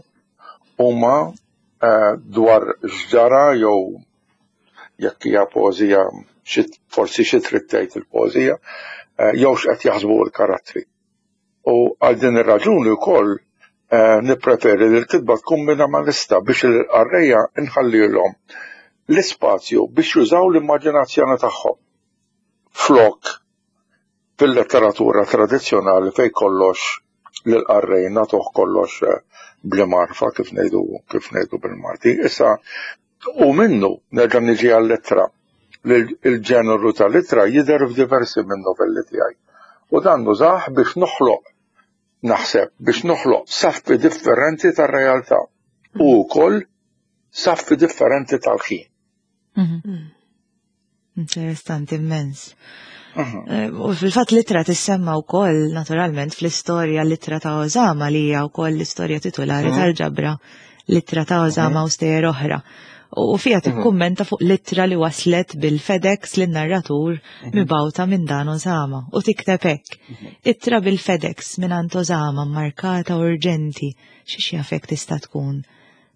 huma eh, dwar x'ġara jew jekk hija poeżija forsi xi trid tgħid il-poeżija jew x'qed jaħsbu l-karattri. U għal din ir-raġuni wkoll eh, nippreferi li l-kitba tkun minimalista biex il-qarrejja nħallilhom l-ispazju biex jużaw l-immaġinazzjoni tagħhom. Flok fil-letteratura tradizzjonali fej kollox lill-qarrej nagħtuh kollox eh, bl-marfa kif ngħidu kif ngħidu bil-Malti. Issa U minnu nerġa' niġi għall-ittra. Il-ġeneru tal-ittra jidher f'diversi minn novelli tiegħi. U dan nużah biex noħloq naħseb biex noħloq saffi differenti tar-realtà u wkoll saffi differenti tal-ħin. Mhm. Interessanti immens. U fil-fatt l-ittra tissemma wkoll naturalment fl-istorja l-ittra ta' Osama li hija wkoll l-istorja titulari tal-ġabra l-ittra ta' Osama u stejjer oħra. U fiha tikkummenta fuq l-ittra li waslet bil-FedEx lin-narratur mibgħuta minn dan Osama u tikteb hekk. Ittra bil-FedEx minn Osama markata urġenti xi jafek tista' tkun.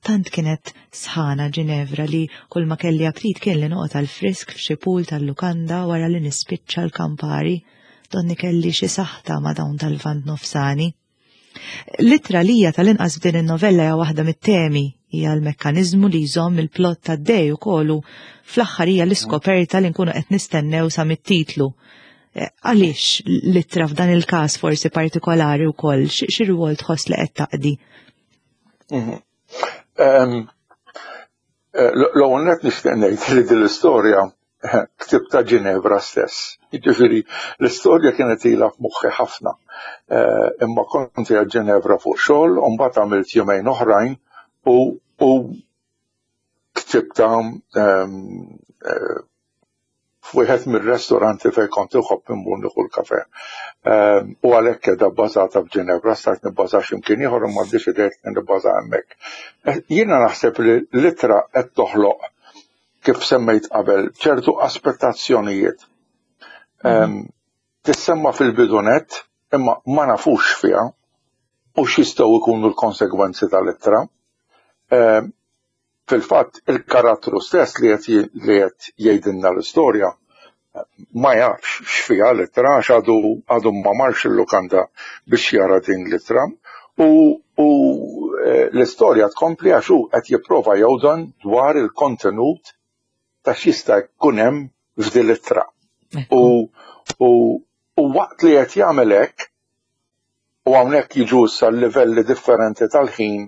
Tant kienet sħana Ġinevra li kull ma kelli aptit kien li noqgħod għal frisk f'xi pool tal-lukanda wara li nispiċċa l-kampari. Donni kelli xi saħta ma' dawn tal-Lvant Nofsani. L-ittra li hija tal-inqas f'din in-novella hija waħda mit-temi, hija l-mekkaniżmu li jżomm il-plot tad-dej ukoll u fl-aħħar hija l-iskoperta li nkunu qed nistennew sa mit-titlu. Għaliex l-ittra f'dan il-każ forsi partikolari wkoll, xi rwol tħoss li qed taqdi? L-ewwel nett nixtieq ngħid li din l-istorja ktibtha Ġinevra stess. Jiġifieri l-istorja kienet ilha f'moħħi ħafna. Imma kont qiegħed Ġinevra fuq xogħol u mbagħad għamilt jumejn oħrajn u ktibtha f'wieħed mir-restoranti fejn kont inħobb immur nieħu l-kafe. U għalhekk qiegħda bbażata f'Ġinevra, stajt nibbaża x'imkien ieħor imma ddeċidejt li nibbaża hemmhekk. Jiena naħseb li l-ittra qed toħloq, kif semmejt qabel, ċertu aspettazzjonijiet. Tissemma fil-bidunet imma ma nafux fiha u x'jistgħu jkunu l-konsegwenzi tal-ittra. Fil-fatt il-karattru stess li qed jgħidilna l-istorja ma jafx x'fiha l-ittra għax għadu ma marx il-lukanda biex jara din l-ittra u l-istorja tkompli għax hu qed jipprova jgħodan dwar il-kontenut ta' x'jista' jkun hemm f'din l-ittra. U waqt li qed jagħmel hekk, u hawnhekk jiġu issa l-livelli differenti tal-ħin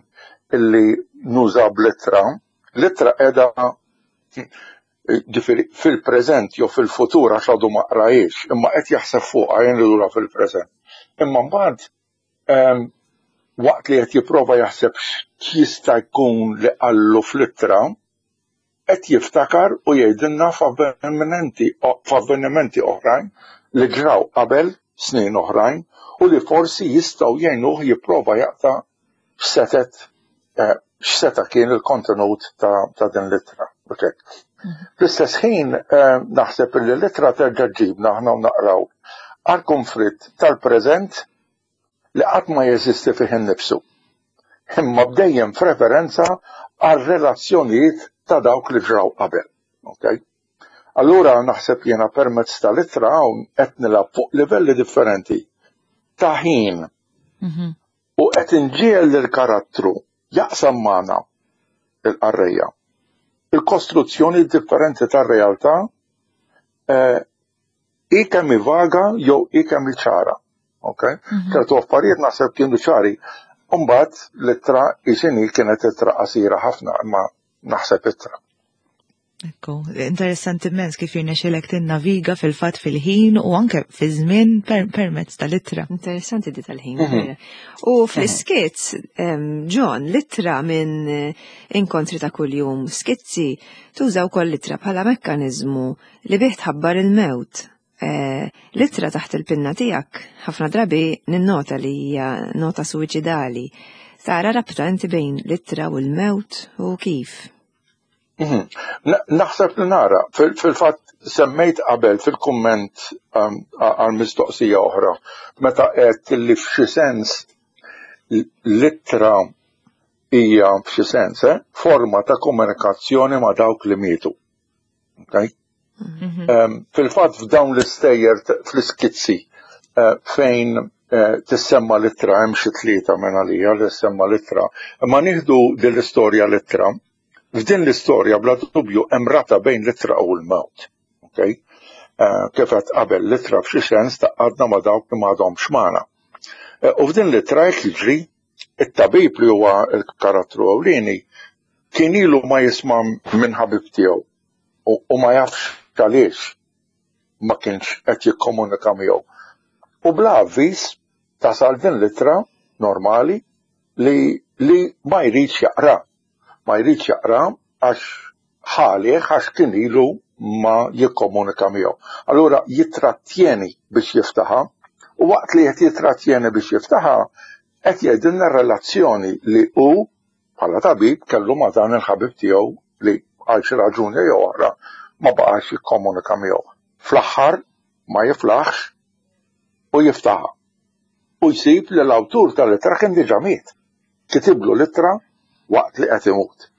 illi nuża bl-ittra, l-ittra qiegħda ġifieri fil-preżent jew fil-futur għax għadu ma qrajiex, imma qed jaħseb fuqha jien lura fil-preżent. Imma mbagħad waqt li qed jipprova jaħseb x'jista' jkun li qallu fl-ittra, qed jiftakar u jgħidilna f'avvenimenti oħrajn li ġraw qabel snin oħrajn u li forsi jistgħu jgħinuh jipprova jaqta' x'setet x'seta' kien il-kontenut ta' din l-ittra. Fl-istess ħin naħseb li l-ittra terġa' ġġibna aħna u naqraw għall-konflitt tal-preżent li qatt ma jeżisti fih innifsu, imma b'dejjem f'referenza għal relazzjonijiet ta' dawk li ġraw qabel. Okay? Allura naħseb jiena permezz tal-ittra hawn qed nilgħab fuq livelli differenti ta' ħin u qed inġiegħel lill-karattru jaqsam magħna il-qarrejja il-kostruzzjoni differenti tar-realtà hi kemm hi vaga jew hi kemm hi ċara. Okay? Ċertu affarijiet naħseb kienu ċari. Imbagħad l-ittra hi x'inhi kienet ittra qasira ħafna imma naħseb ittra. Ekku, interessanti immens kif jirnexxilek tinnaviga fil-fatt fil-ħin u anke fi żmien permezz tal-ittra. Interessanti di tal-ħin. U fl-iskizz, John, l-ittra minn inkontri ta' kuljum, skizzi, tuża wkoll l-ittra bħala mekkaniżmu li bih tħabbar il-mewt. L-ittra taħt il-pinna tiegħek ħafna drabi ninnota li hija nota suwiċidali. Tara rabta inti bejn l-ittra u l-mewt u kif? Naħseb li nara, fil-fatt semmejt qabel fil-kumment għal mistoqsija oħra, meta qed li f'xi sens l-ittra hija f'xi sens forma ta' komunikazzjoni ma' dawk li mietu. Okay? Fil-fatt f'dawn l-istejjer fl-iskizzi fejn tissemma l-ittra, hemm xi tlieta minn għalija li tissemma l-ittra, imma nieħdu din l-istorja l-ittra. F'din l-istorja bla dubju hemm rabta bejn l-ittra u l-mewt. Okay? Kif qed qabel l-ittra f'xi sens taqgħadna ma' dawk li m'għadhomx magħna. U f'din l-ittra qed jiġri it-tabib li huwa l-karattru ewlieni kien ilu ma jisma' minn ħabib tiegħu u ma jafx għaliex ma kienx qed jikkomunika miegħu. U bla avviż tasal din l-ittra normali li ma jridx jaqra. Ma jridx jaqra għax ħalih għax kien ilu ma jikkomunika miegħu. Allura jitrattjeni biex jiftaħa u waqt li qed jitrattjeni biex jiftaħa qed jgħidilna r-relazzjoni li hu bħala tabib kellu ma' dan il-ħabib tiegħu li għal xi raġuni jew oħra ma baqax jikkomunika miegħu. Fl-aħħar ma jiflaħx u jiftaħha. U jsib li l-awtur tal-ittra kien diġà miet. Kitiblu l-ittra waqt li qed imut.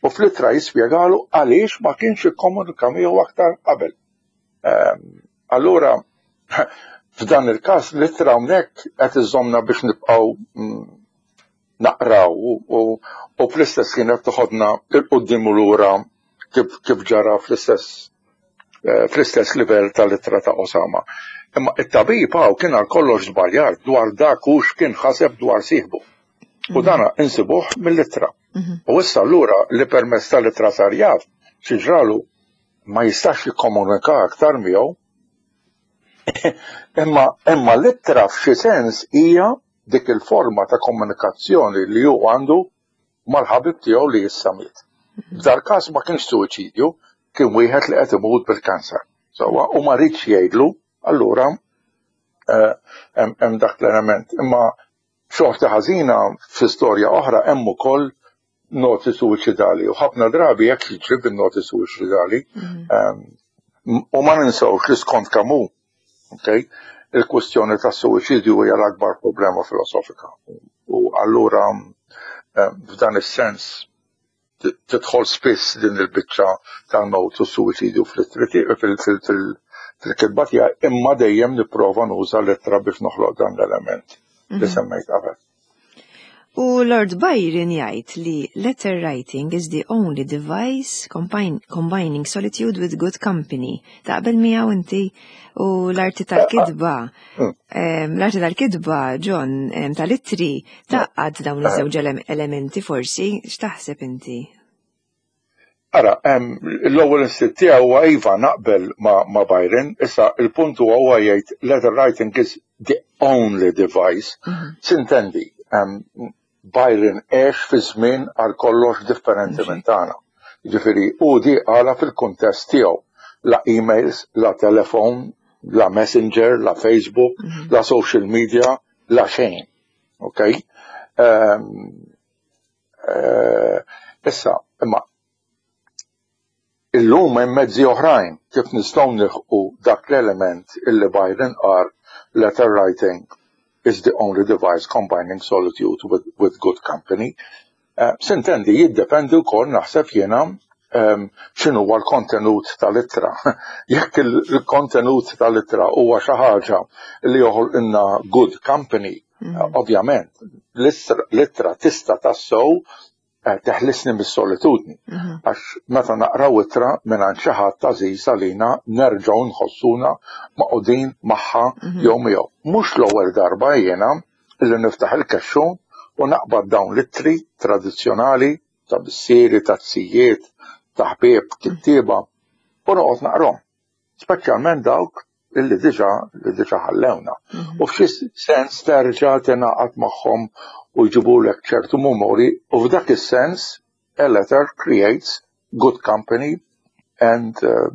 U fl-ittra jispjegalu għaliex ma kienx ikkomunika miegħu aktar qabel. Ehm, allura, f'dan il-każ l-ittra hawnhekk qed iżomna biex nibqgħu mm, naqraw u fl-istess ħin qed toħodna 'l quddiem u lura kif ġara fl-istess eh, fl-istess livell tal-ittra ta' Osama. Imma it-tabib hawn kien għal kollox żbaljat dwar dak u x'kien ħaseb dwar sieħbu. U mhm. dana insibuh mill-ittra. Mhm. U issa allura li permezz tal-ittra sar jaf xi ġralu ma jistax jikkomunika aktar miegħu. Imma imma l-ittra f'xi sens hija dik il-forma ta' komunikazzjoni li hu għandu mal-ħabib tiegħu li issa miet. F'dal-każ ma kienx suwiċidju, kien wieħed li qed imut bil-kanser. Sewwa, u ma riedx jgħidlu, allura eh, hemm dak l-element. Imma xorta ħażina f'istorja oħra hemm ukoll noti suwiċidali u ħafna drabi hekk jiġri bin-noti suwiċidali. Mhm. Ehm, u ma ninsewx li skont Camus, okay, il-kwestjoni ta' suwiċidju hija l-akbar problema filosofika. U allura ehm, f'dan is-sens tidħol spiss din il-biċċa tal-mewt u suwiċidju fil-kitba tiegħi imma dejjem nipprova nuża l-ittra biex noħloq dan l-element li mhm. semmejt qabel. U Lord Byron jgħid li letter writing is the only device combining solitude with good company. Taqbel miegħu inti u l-arti tal-kitba. Mm. L-arti tal-kitba, John, tal-ittri, tgħaqqad dawn iż-żewġ elementi forsi, x'taħseb inti? Ara, l-ewwel instintt tiegħi huwa iva naqbel ma' Byron, issa il-punt huwa huwa jgħid letter writing is the only device. Mhm. Sintendi, Byron għex fi żmien għal kollox differenti minn tagħna. Ġifieri hu di qala fil-kuntest tiegħu. La emails, la telefon, la messenger, la Facebook, mhm. la social media, la xejn. Ok? Eh, issa, imma illum hemm mezzi oħrajn kif nistgħu nilħqu dak l-element illi Byron qal letter writing is the only device combining solitude with, with good company. Uh, Sintendi jiddependi wkoll naħseb jiena um, x'inhu huwa l-kontenut tal-ittra. Jekk il-kontenut tal-ittra huwa xi ħaġa li joħolqilna good company, mm. Ovvjament, l-ittra tista' tassew eh, teħlisni mis-solitudni. Mhm. Għax meta naqraw ittra mingħand xi ħadd għażiż għalina nerġgħu nħossuna maqudin magħha mhm. jew miegħu. Mhux l-ewwel darba jiena illi niftaħ il-kexxun u naqbad dawn l-ittri tradizzjonali ta' missieri, ta' zijiet, ta' ħbieb, kittieba u noqgħod naqrom. Speċjalment dawk illi diġà li diġà ħallewna. Mhm. U f'xi sens terġa' tingħaqad magħhom u jġibulek ċertu memori u f'dak is-sens a letter creates good company and uh,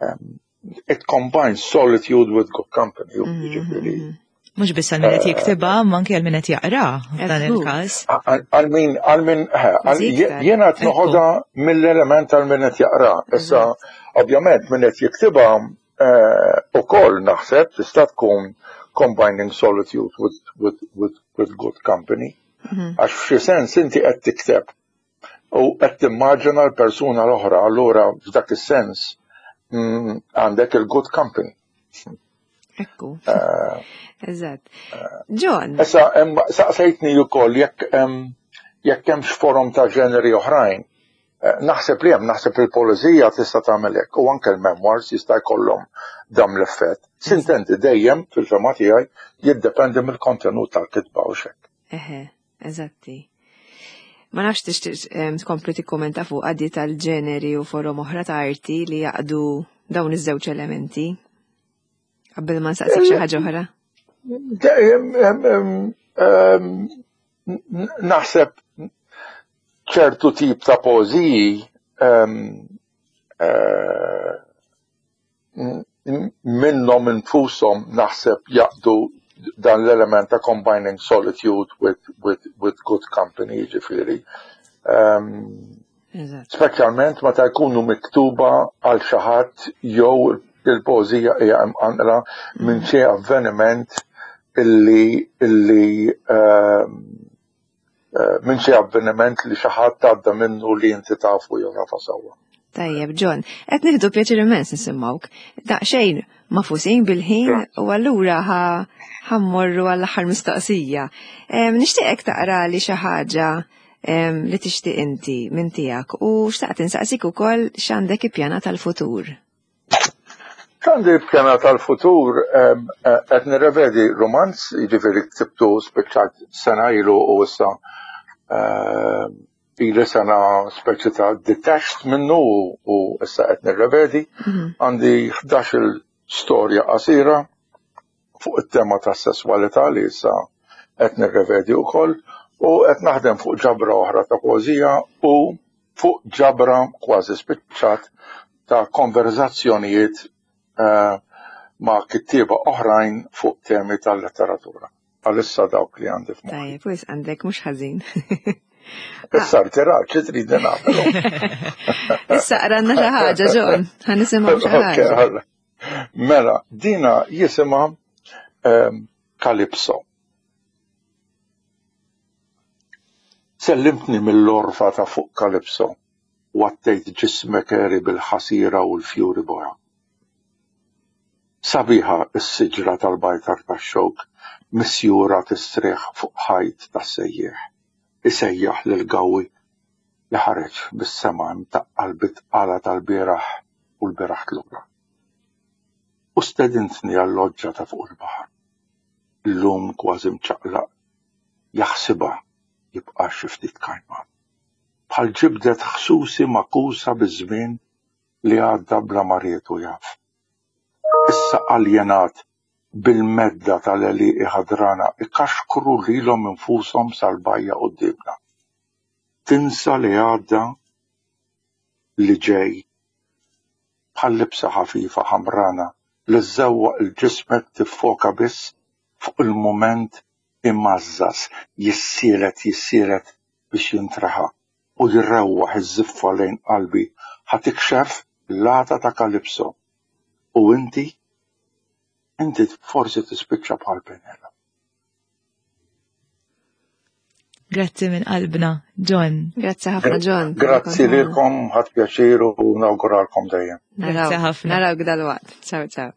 um, it combines solitude with good company. Mhm, jiġifieri. Mhm. Mhux biss għal min qed eh, jiktibha, ma anke għal min qed jaqra f'dan il-każ. Għal min għal min eh, jiena qed noħodha mill-element għal min qed jaqra. Issa ovvjament min qed jiktibha eh, ukoll naħseb tista' tkun combining solitude with, with, with, with good company. Mhm. Għax f'xi sens inti qed tikteb u qed timmaġina l-persuna l-oħra, allura f'dak is-sens mm, għandek il-good company. Ekku. Eh, Eżatt. Eh, John. Issa, saqsejtni wkoll jekk jekk hemmx forom ta' ġeneri oħrajn. Eh, naħseb li hemm, naħseb il-poeżija tista' tagħmel hekk u anke l-memoirs jista' jkollhom dam l-effett. Sintendi dejjem fil-fema tiegħi jiddependi mill-kontenut tal-kitba u xek. Eħe, eżatti. Ma nafx tixtieq tkompli tikkumenta fuq għaddi tal-ġeneri u forom oħra ta' arti li jaqdu dawn iż-żewġ elementi. Qabel ma nsaqsik xi ħaġa oħra. Naħseb ċertu tip ta' poeżiji eh, minnhom infushom naħseb jaqdu dan l-element ta' combining solitude with, with, with good company, ġifiri. Um, Speċjalment meta jkunu miktuba għal xi ħadd jew il-poeżija hija imqanqla minn xi avveniment illi illi ehm, eh, minn xi avveniment li xi ħadd għadda minnu li inti tafu jew tafa sewwa. Tajjeb, John, qed nieħdu pjaċir immens nisimgħuk. Daqsxejn mafusin bil-ħin u allura ħammorru għall-aħħar mistoqsija. Nixtieqek taqra li xi ħaġa li tixtieq inti minn tiegħek u xtaqt insaqsik ukoll x'għandek ippjana tal-futur. X'għandi ippjana tal-futur eh, qed nirrevedi romanz, jiġifieri ktibtu spiċċat sena ilu u issa ili sena speċi ta' detached minnu u issa qed nirrevedi. Mhm. Għandi 11 storja qasira fuq it-tema tas-sesswalità li issa qed nirrevedi wkoll u qed naħdem fuq ġabra oħra ta' poeżija u fuq ġabra kważi spiċċat ta' konverzazzjonijiet eh, ma' kittieba oħrajn fuq temi tal-letteratura. Għalissa dawk li għandi f'moħħi. Tajjeb, wis għandek mhux ħażin. Issa rtirat, xi trid nagħmel? Issa qranna xi ħaġa, John, ħa nisimgħu xi ħaġa. Mela, dina jisimha ehm, Calypso. Sellimtni mill-orfa ta' fuq Calypso u għattejt ġismek għeri bil-ħasira u l-fjuri boja. Sabiħa s-siġra tal-bajtar tax-xewk misjura tistrieħ fuq ħajt tas-sejjieħ, isejjaħ lill-gawwi li ħareġ bis-sema imtaqqal bit-tqala tal-bieraħ u l-bieraħ tlura. U stedintni għal-loġġa ta' fuq il-baħar. Illum kważi mċaqlaq jaħsibha jibqa' xi ftit kajman. Bħal ġibdet ħsusi magħkusa biż-żmien li għadda bla ma ried u jaf. Issa aljenat bil-medda tal-għelieqi ħadrana ikaxkru lilhom infushom sal-bajja quddiemna. Tinsa li għadda, li ġej, bħal libsa ħafifa ħamrana li żżewwaq 'il ġismek tiffoka biss fuq il-mument imgħażżaż jissielet jissielet biex jintreħa u jrewwaħ iż-żiffa lejn qalbi ħa tikxef l-għata ta' Calypso u inti, inti forsi tispiċċa bħal Penelope. Grazzi minn qalbna, John. Grazzi ħafna, John. Grazzi lilkom, ħadd pjaċir u nawguralkom dejjem. Grazzi ħafna. Narawk dal-waqt. Ciao, ciao.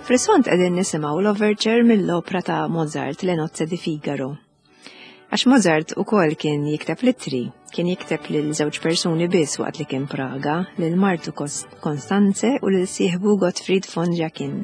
Fl-isfond qegħdin nisimgħu l-overture mill-opra ta' Mozart Le Nozze di Figaro. Għax Mozart ukoll kien jikteb l-ittri, kien jikteb lil żewġ persuni biss waqt li kien Praga, lil martu Konstanze u lil sieħbu Gottfried von Jacquin.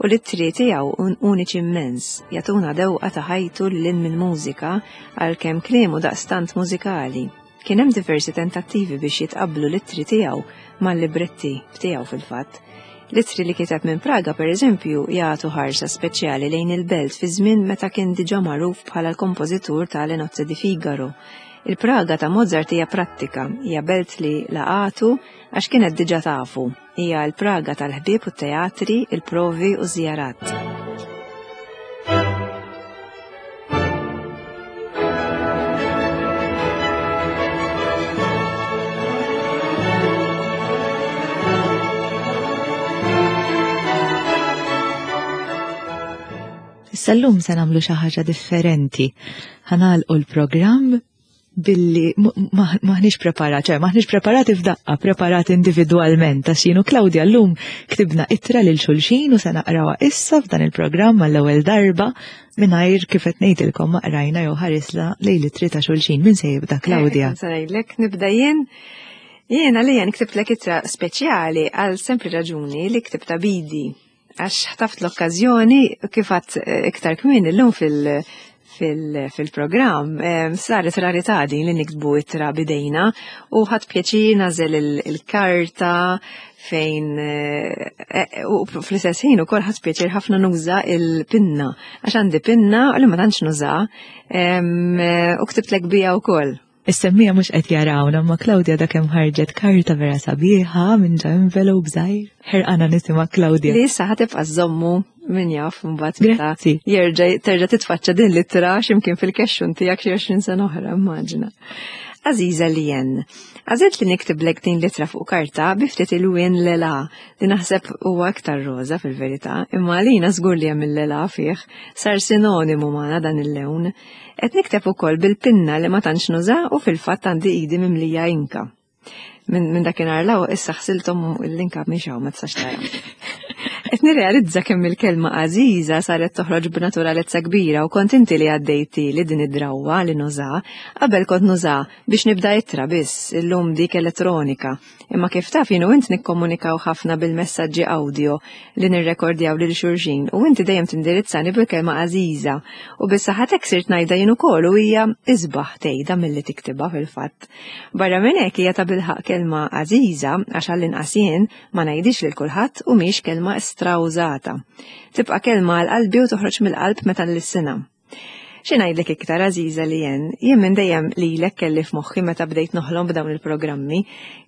U l-ittri tiegħu uniċi immens, jagħtuna dewqa ta' ħajtu lil mill-mużika għalkemm kliemu daqstant mużikali. Kien hemm diversi tentattivi biex jitqabblu l-ittri tiegħu mal-libretti tiegħu fil-fatt. L-ittri li kiteb minn Praga, per eżempju, jagħtu ħarsa speċjali lejn il-belt fi żmien meta kien diġà magħruf bħala l-kompożitur ta' Le Nozze di Figaro. Il-Praga ta' Mozart hija prattika, hija belt li laqatu għax kienet diġà tafu. Hija l-Praga tal-ħbieb u t-teatri, il-provi u ż-żjarat. Issa llum se nagħmlu xi ħaġa differenti. Ħanalqu l-programm billi maħniex preparati, ċe maħniex preparati f'daqqa, preparati individwalment, għax jienu Claudia llum ktibna ittra lil xulxin u se naqrawha issa f'dan il-programm għall-ewwel darba mingħajr kif qed ngħidilkom ma qrajna jew ħarisna lejn l-ittri ta' xulxin. Min se jibda Claudia? Eh, se ngħidlek nibda jien. Jien għalija nktiblek ittra speċjali għal sempli raġuni li ktibta bidi għax ħtaft l-okkażjoni kif għadt eh, iktar kmieni llum fil- fil-programm, saret rarità din li niktbu ittra bidejna u ħadd pjaċir nażel il-karta fejn eh, eh, u fl-istess ħin ukoll ħadd pjaċir ħafna nuża il-pinna għax għandi pinna li ma tantx nuża eh, u ktibtlek bija wkoll. Is-semmija mhux qed jarawna, ma Claudia da kemm ħarġet karta vera sabiħa minn ġa envelope żgħir. Ħerqana nisimha Claudia. Li issa ħatibqa' żommu min jaf mbagħad meta jerġa' terġa' titfaċċa din l-ittra x'imkien fil-kexxun tiegħek xi 20 sena oħra, immaġina. Aziza li jen. Għażilt li niktiblek din l-ittra fuq karta bi ftit il-wien lela li naħseb huwa aktar roża fil-verità, imma għalina żgur li hemm il-lela fih, sar sinonimu magħna dan il-lewn. Qed nikteb ukoll bil-pinna li ma tantx nuża u fil-fatt għandi idi mimlija inka. Minn min dakinhar law issa ħsilthom l-inka mhix hawn ma tistax tara. Qed nirrealizza kemm il-kelma għażiża saret toħroġ b'naturalezza kbira u kont inti li għaddejti li din id-drawwa li nuża, qabel kont nuża biex nibda ittra biss, illum dik elettronika. Imma kif taf jien u int nikkomunikaw ħafna bil-messaġġi audio li nirrekordjaw lil xulxin u inti dejjem tindirizzani bil-kelma għażiża u bis-saħħa sirt ngħidha jien ukoll u hija isbaħ tgħidha milli tiktibha fil-fatt. Barra minn hekk hija tabilħaqq kelma għażiża għax għall-inqas jien ma ngħidix lil kulħadd u mhix kelma strawżata. Tibqa' kelma għal qalbi u toħroġ mill-qalb meta nlissinha. Xi ngħidlek iktar għażiża li jen, jien minn dejjem lilek kelli f'moħħi meta bdejt noħlom b'dawn il-programmi,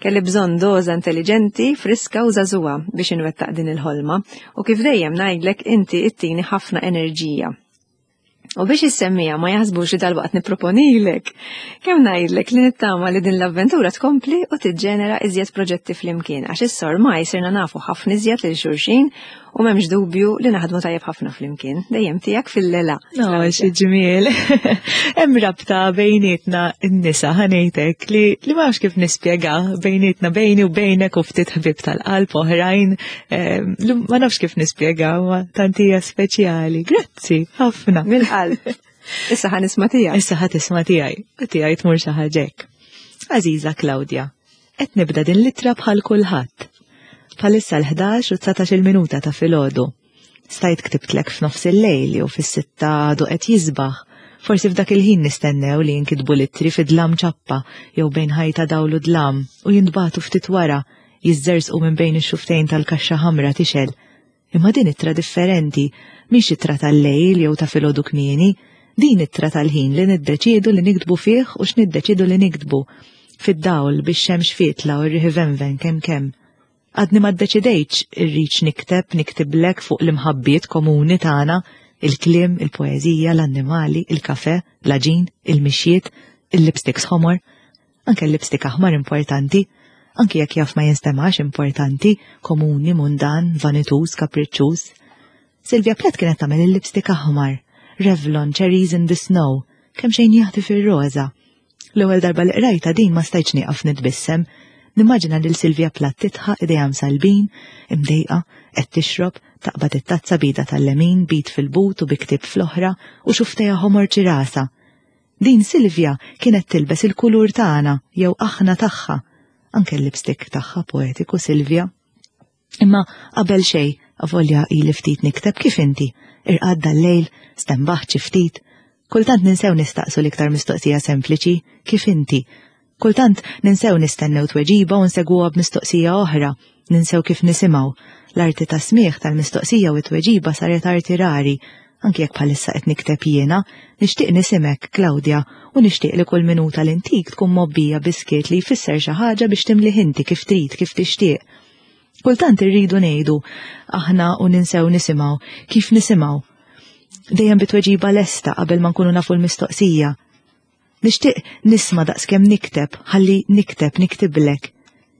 kelli bżonn doża intelliġenti, friska u żagħżugħa biex inwettaq din il-ħolma u kif dejjem ngħidlek inti ittini ħafna enerġija. U biex is-semmija ma jaħsbux li dalwaqt nipproponilek, kemm ngħidlek li nittama li din l-avventura tkompli u tiġġenera iżjed proġetti flimkien għax is-sormaj sirna nafu ħafna iżjed lil xulxin U m'hemmx dubju li naħdmu tajjeb ħafna flimkien, dejjem tiegħek fil-lela. No, xi ġmiel. Hemm rabta bejnietna n-nisa ħanejtek li li ma nafx kif nispjega bejnietna bejni u bejnek u ftit ħbieb tal-qalb oħrajn ehm, li ma nafx kif nispjega ma tant hija speċjali. Grazzi ħafna. Mill-qalb. Issa ħa nisma' tiegħek. Issa ħa tisma' tiegħi. U tiegħi tmur xi ħaġa hekk. Aziza Claudia, qed nibda din l-ittra bħal kulħadd. Bħalissa l-11 u 19 minuta ta' filgħodu. Stajt ktibtlek f'nofs il-lejl jew fis-sitta għadu qed jisbaħ. Forsi f'dak il-ħin nistennew li jinkitbu l-ittri fi dlam ċappa jew bejn ħajta dawl u dlam u jintbagħtu ftit wara jiżżerżqu minn bejn ix-xuftejn tal-kaxxa ħamra tixgħel. Imma din ittra differenti, mhix ittra tal-lejl jew ta' filgħodu kmieni, din ittra tal-ħin li niddeċiedu li niktbu fih u x'niddeċiedu li niktbu. Fid-dawl, bix-xemx fietla u r-riħ ivenven kemm kemm. Għadni ma ddeċidejtx irridx nikteb, niktiblek fuq l-imħabbiet komuni tagħna, il-kliem, il-poeżija, l-annimali, il-kafè, l-għaġin, il-mixjiet, il-lipsticks ħomor, Anke l-lipstick aħmar importanti, anki jekk jaf ma jinstemax importanti, komuni, mundan, vanituż, kapriċċuż. Sylvia Plath kienet tagħmel il-lipstick aħmar, Revlon, Cherries in the Snow, kemm xejn jaħti fir-roża. L-ewwel darba li qrajtha din ma stajtx nieqaf nitbissem. Nimmaġina lil Sylvia Plath titħaq idejha msalbin, imdejqa, qed tixrob, taqbad it-tazza b'idha tal-lemin, b'id fil-but u bi ktieb fl-oħra u xuftejha ħomor ċirasa. Din Silvia kienet tilbes il-kulur tagħna jew aħna tagħha. Anke l-lipstick tagħha poetiku Silvia. Imma qabel xejn, avolja ili ftit nikteb kif inti, irqad dal-lejl, stenbaħt xi ftit. Kultant ninsew nistaqsu l-iktar mistoqsija sempliċi, kif inti? Kultant ninsew nistennew tweġiba u nsegwuha b'mistoqsija oħra, ninsew kif nisimgħu. L-arti tas-smigħ tal-mistoqsija u t-tweġiba saret arti rari, anki jekk bħalissa qed nikteb jiena, nixtieq nisimek, Claudia, u nixtieq li kull minuta li ntik tkun mgħobbija bi skiet li jfisser xi ħaġa biex timlih inti kif trid, kif tixtieq. Kultant irridu ngħidu aħna u ninsew nisimgħu, kif nisimgħu. Dejjem bi tweġiba lesta qabel ma nkunu nafu l-mistoqsija. Nixtieq nisma' daqskemm nikteb, ħalli nikteb niktiblek.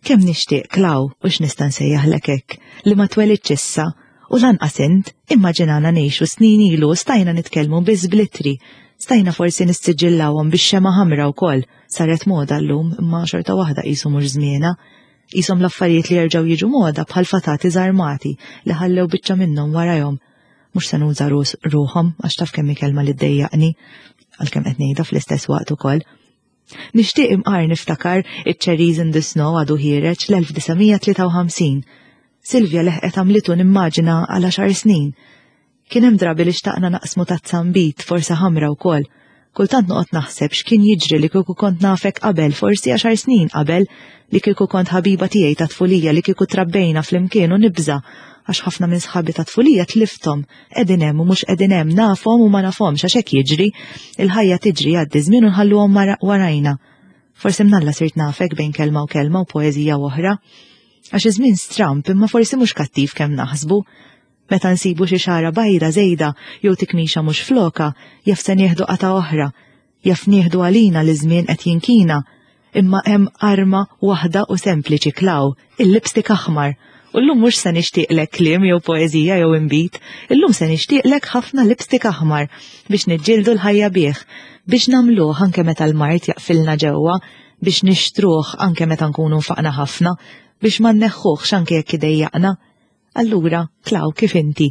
Kemm nixtieq, Klaw, u x'nista' nsejjaħlek hekk, li ma twelidtx issa, u lanqas int, immaġinana ngħixu snin ilu u stajna nitkellmu biss bl-ittri. Stajna forsi nissiġillawhom bix-xemgħa ħamra wkoll, saret moda llum imma xorta waħda qisu mhux żmienha. Qishom l-affarijiet li jerġgħu jiġu moda bħal fatati żarmati li ħallew biċċa minnhom warajhom. Mhux se nuża ruħhom għax taf kemm hi kelma li ddejjaqni, għalkemm qed ngħidha fl-istess waqt ukoll. Nixtieq imqar niftakar iċ-Cherries in the Snow għadu ħiereġ l-1953. Silvia leħqet għamlitu nimmaġina għal għaxar snin. Kien hemm drabi li xtaqna naqsmu tazza nbid, forsi ħamra wkoll. Kultant noqgħod naħseb x'kien jiġri li kieku kont nafek qabel, forsi għaxar snin qabel, li kieku kont ħabiba tiegħi ta' tfulija, li kieku trabbejna flimkien u nibża' għax ħafna minn sħabi ta' tfulija tlifthom, qegħdin hemm u mhux qegħdin hemm, nafhom u ma nafhomx għax hekk jiġri, il-ħajja tiġri jgħaddi żmien u nħalluhom warajna. Forsi mnalla sirt nafek bejn kelma u kelma u poeżija oħra. Għax iż-żmien stramp imma forsi mhux kattiv kemm naħsbu. Meta nsibu xi xagħra bajda żejda jew tikmixa mhux floka, jaf se nieħdu qatgħa oħra. Jaf nieħdu għalina li ż-żmien qed jinkina. Imma hemm arma waħda u sempliċi Klaw, il-lipstick aħmar. U llum mhux se nixtieqlek kliem jew poeżija jew inbid, illum se nixtieqlek ħafna lipstick aħmar biex niġġieldu l-ħajja bih, biex nagħmluh anke meta l-mard jaqfilna ġewwa, biex nixtruh anke meta nkunu nfaqna ħafna, biex ma nneħħuhx anke jekk idejjaqna. Allura, Klaw, kif inti?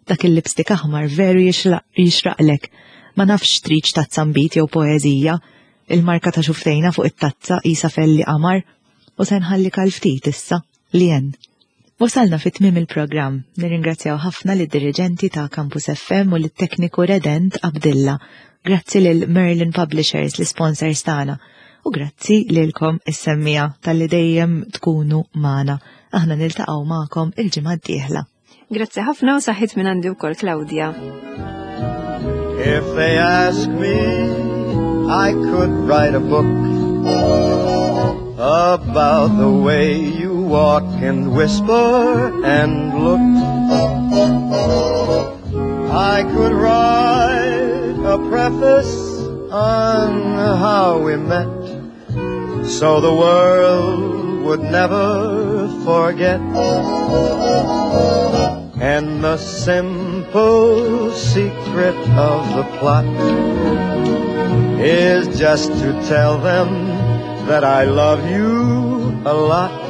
Dak il-lipstick aħmar veru jixraqlek. Ma nafx tridx tazza nbid jew poeżija. Il-marka ta' xuftejna fuq it-tazza qisha felli qamar. U se nħallik għal ftit issa, Lien. Wasalna fi tmiem il-programm. Nirringrazzjaw ħafna lid-diriġenti ta' Campus FM u lit-tekniku Redent Abdilla. Grazzi lil Merlin Publishers, l-isponsors tagħna. U grazzi lilkom is-semmiegħa talli dejjem tkunu magħna. Aħna niltaqgħu magħkom il-ġimgħa d-dieħla. Grazzi ħafna u saħħit minn għandi wkoll Claudia. If they ask me, I could write a book about the way you walk and whisper and look. I could write a preface on how we met, so the world would never forget. And the simple secret of the plot is just to tell them that I love you a lot.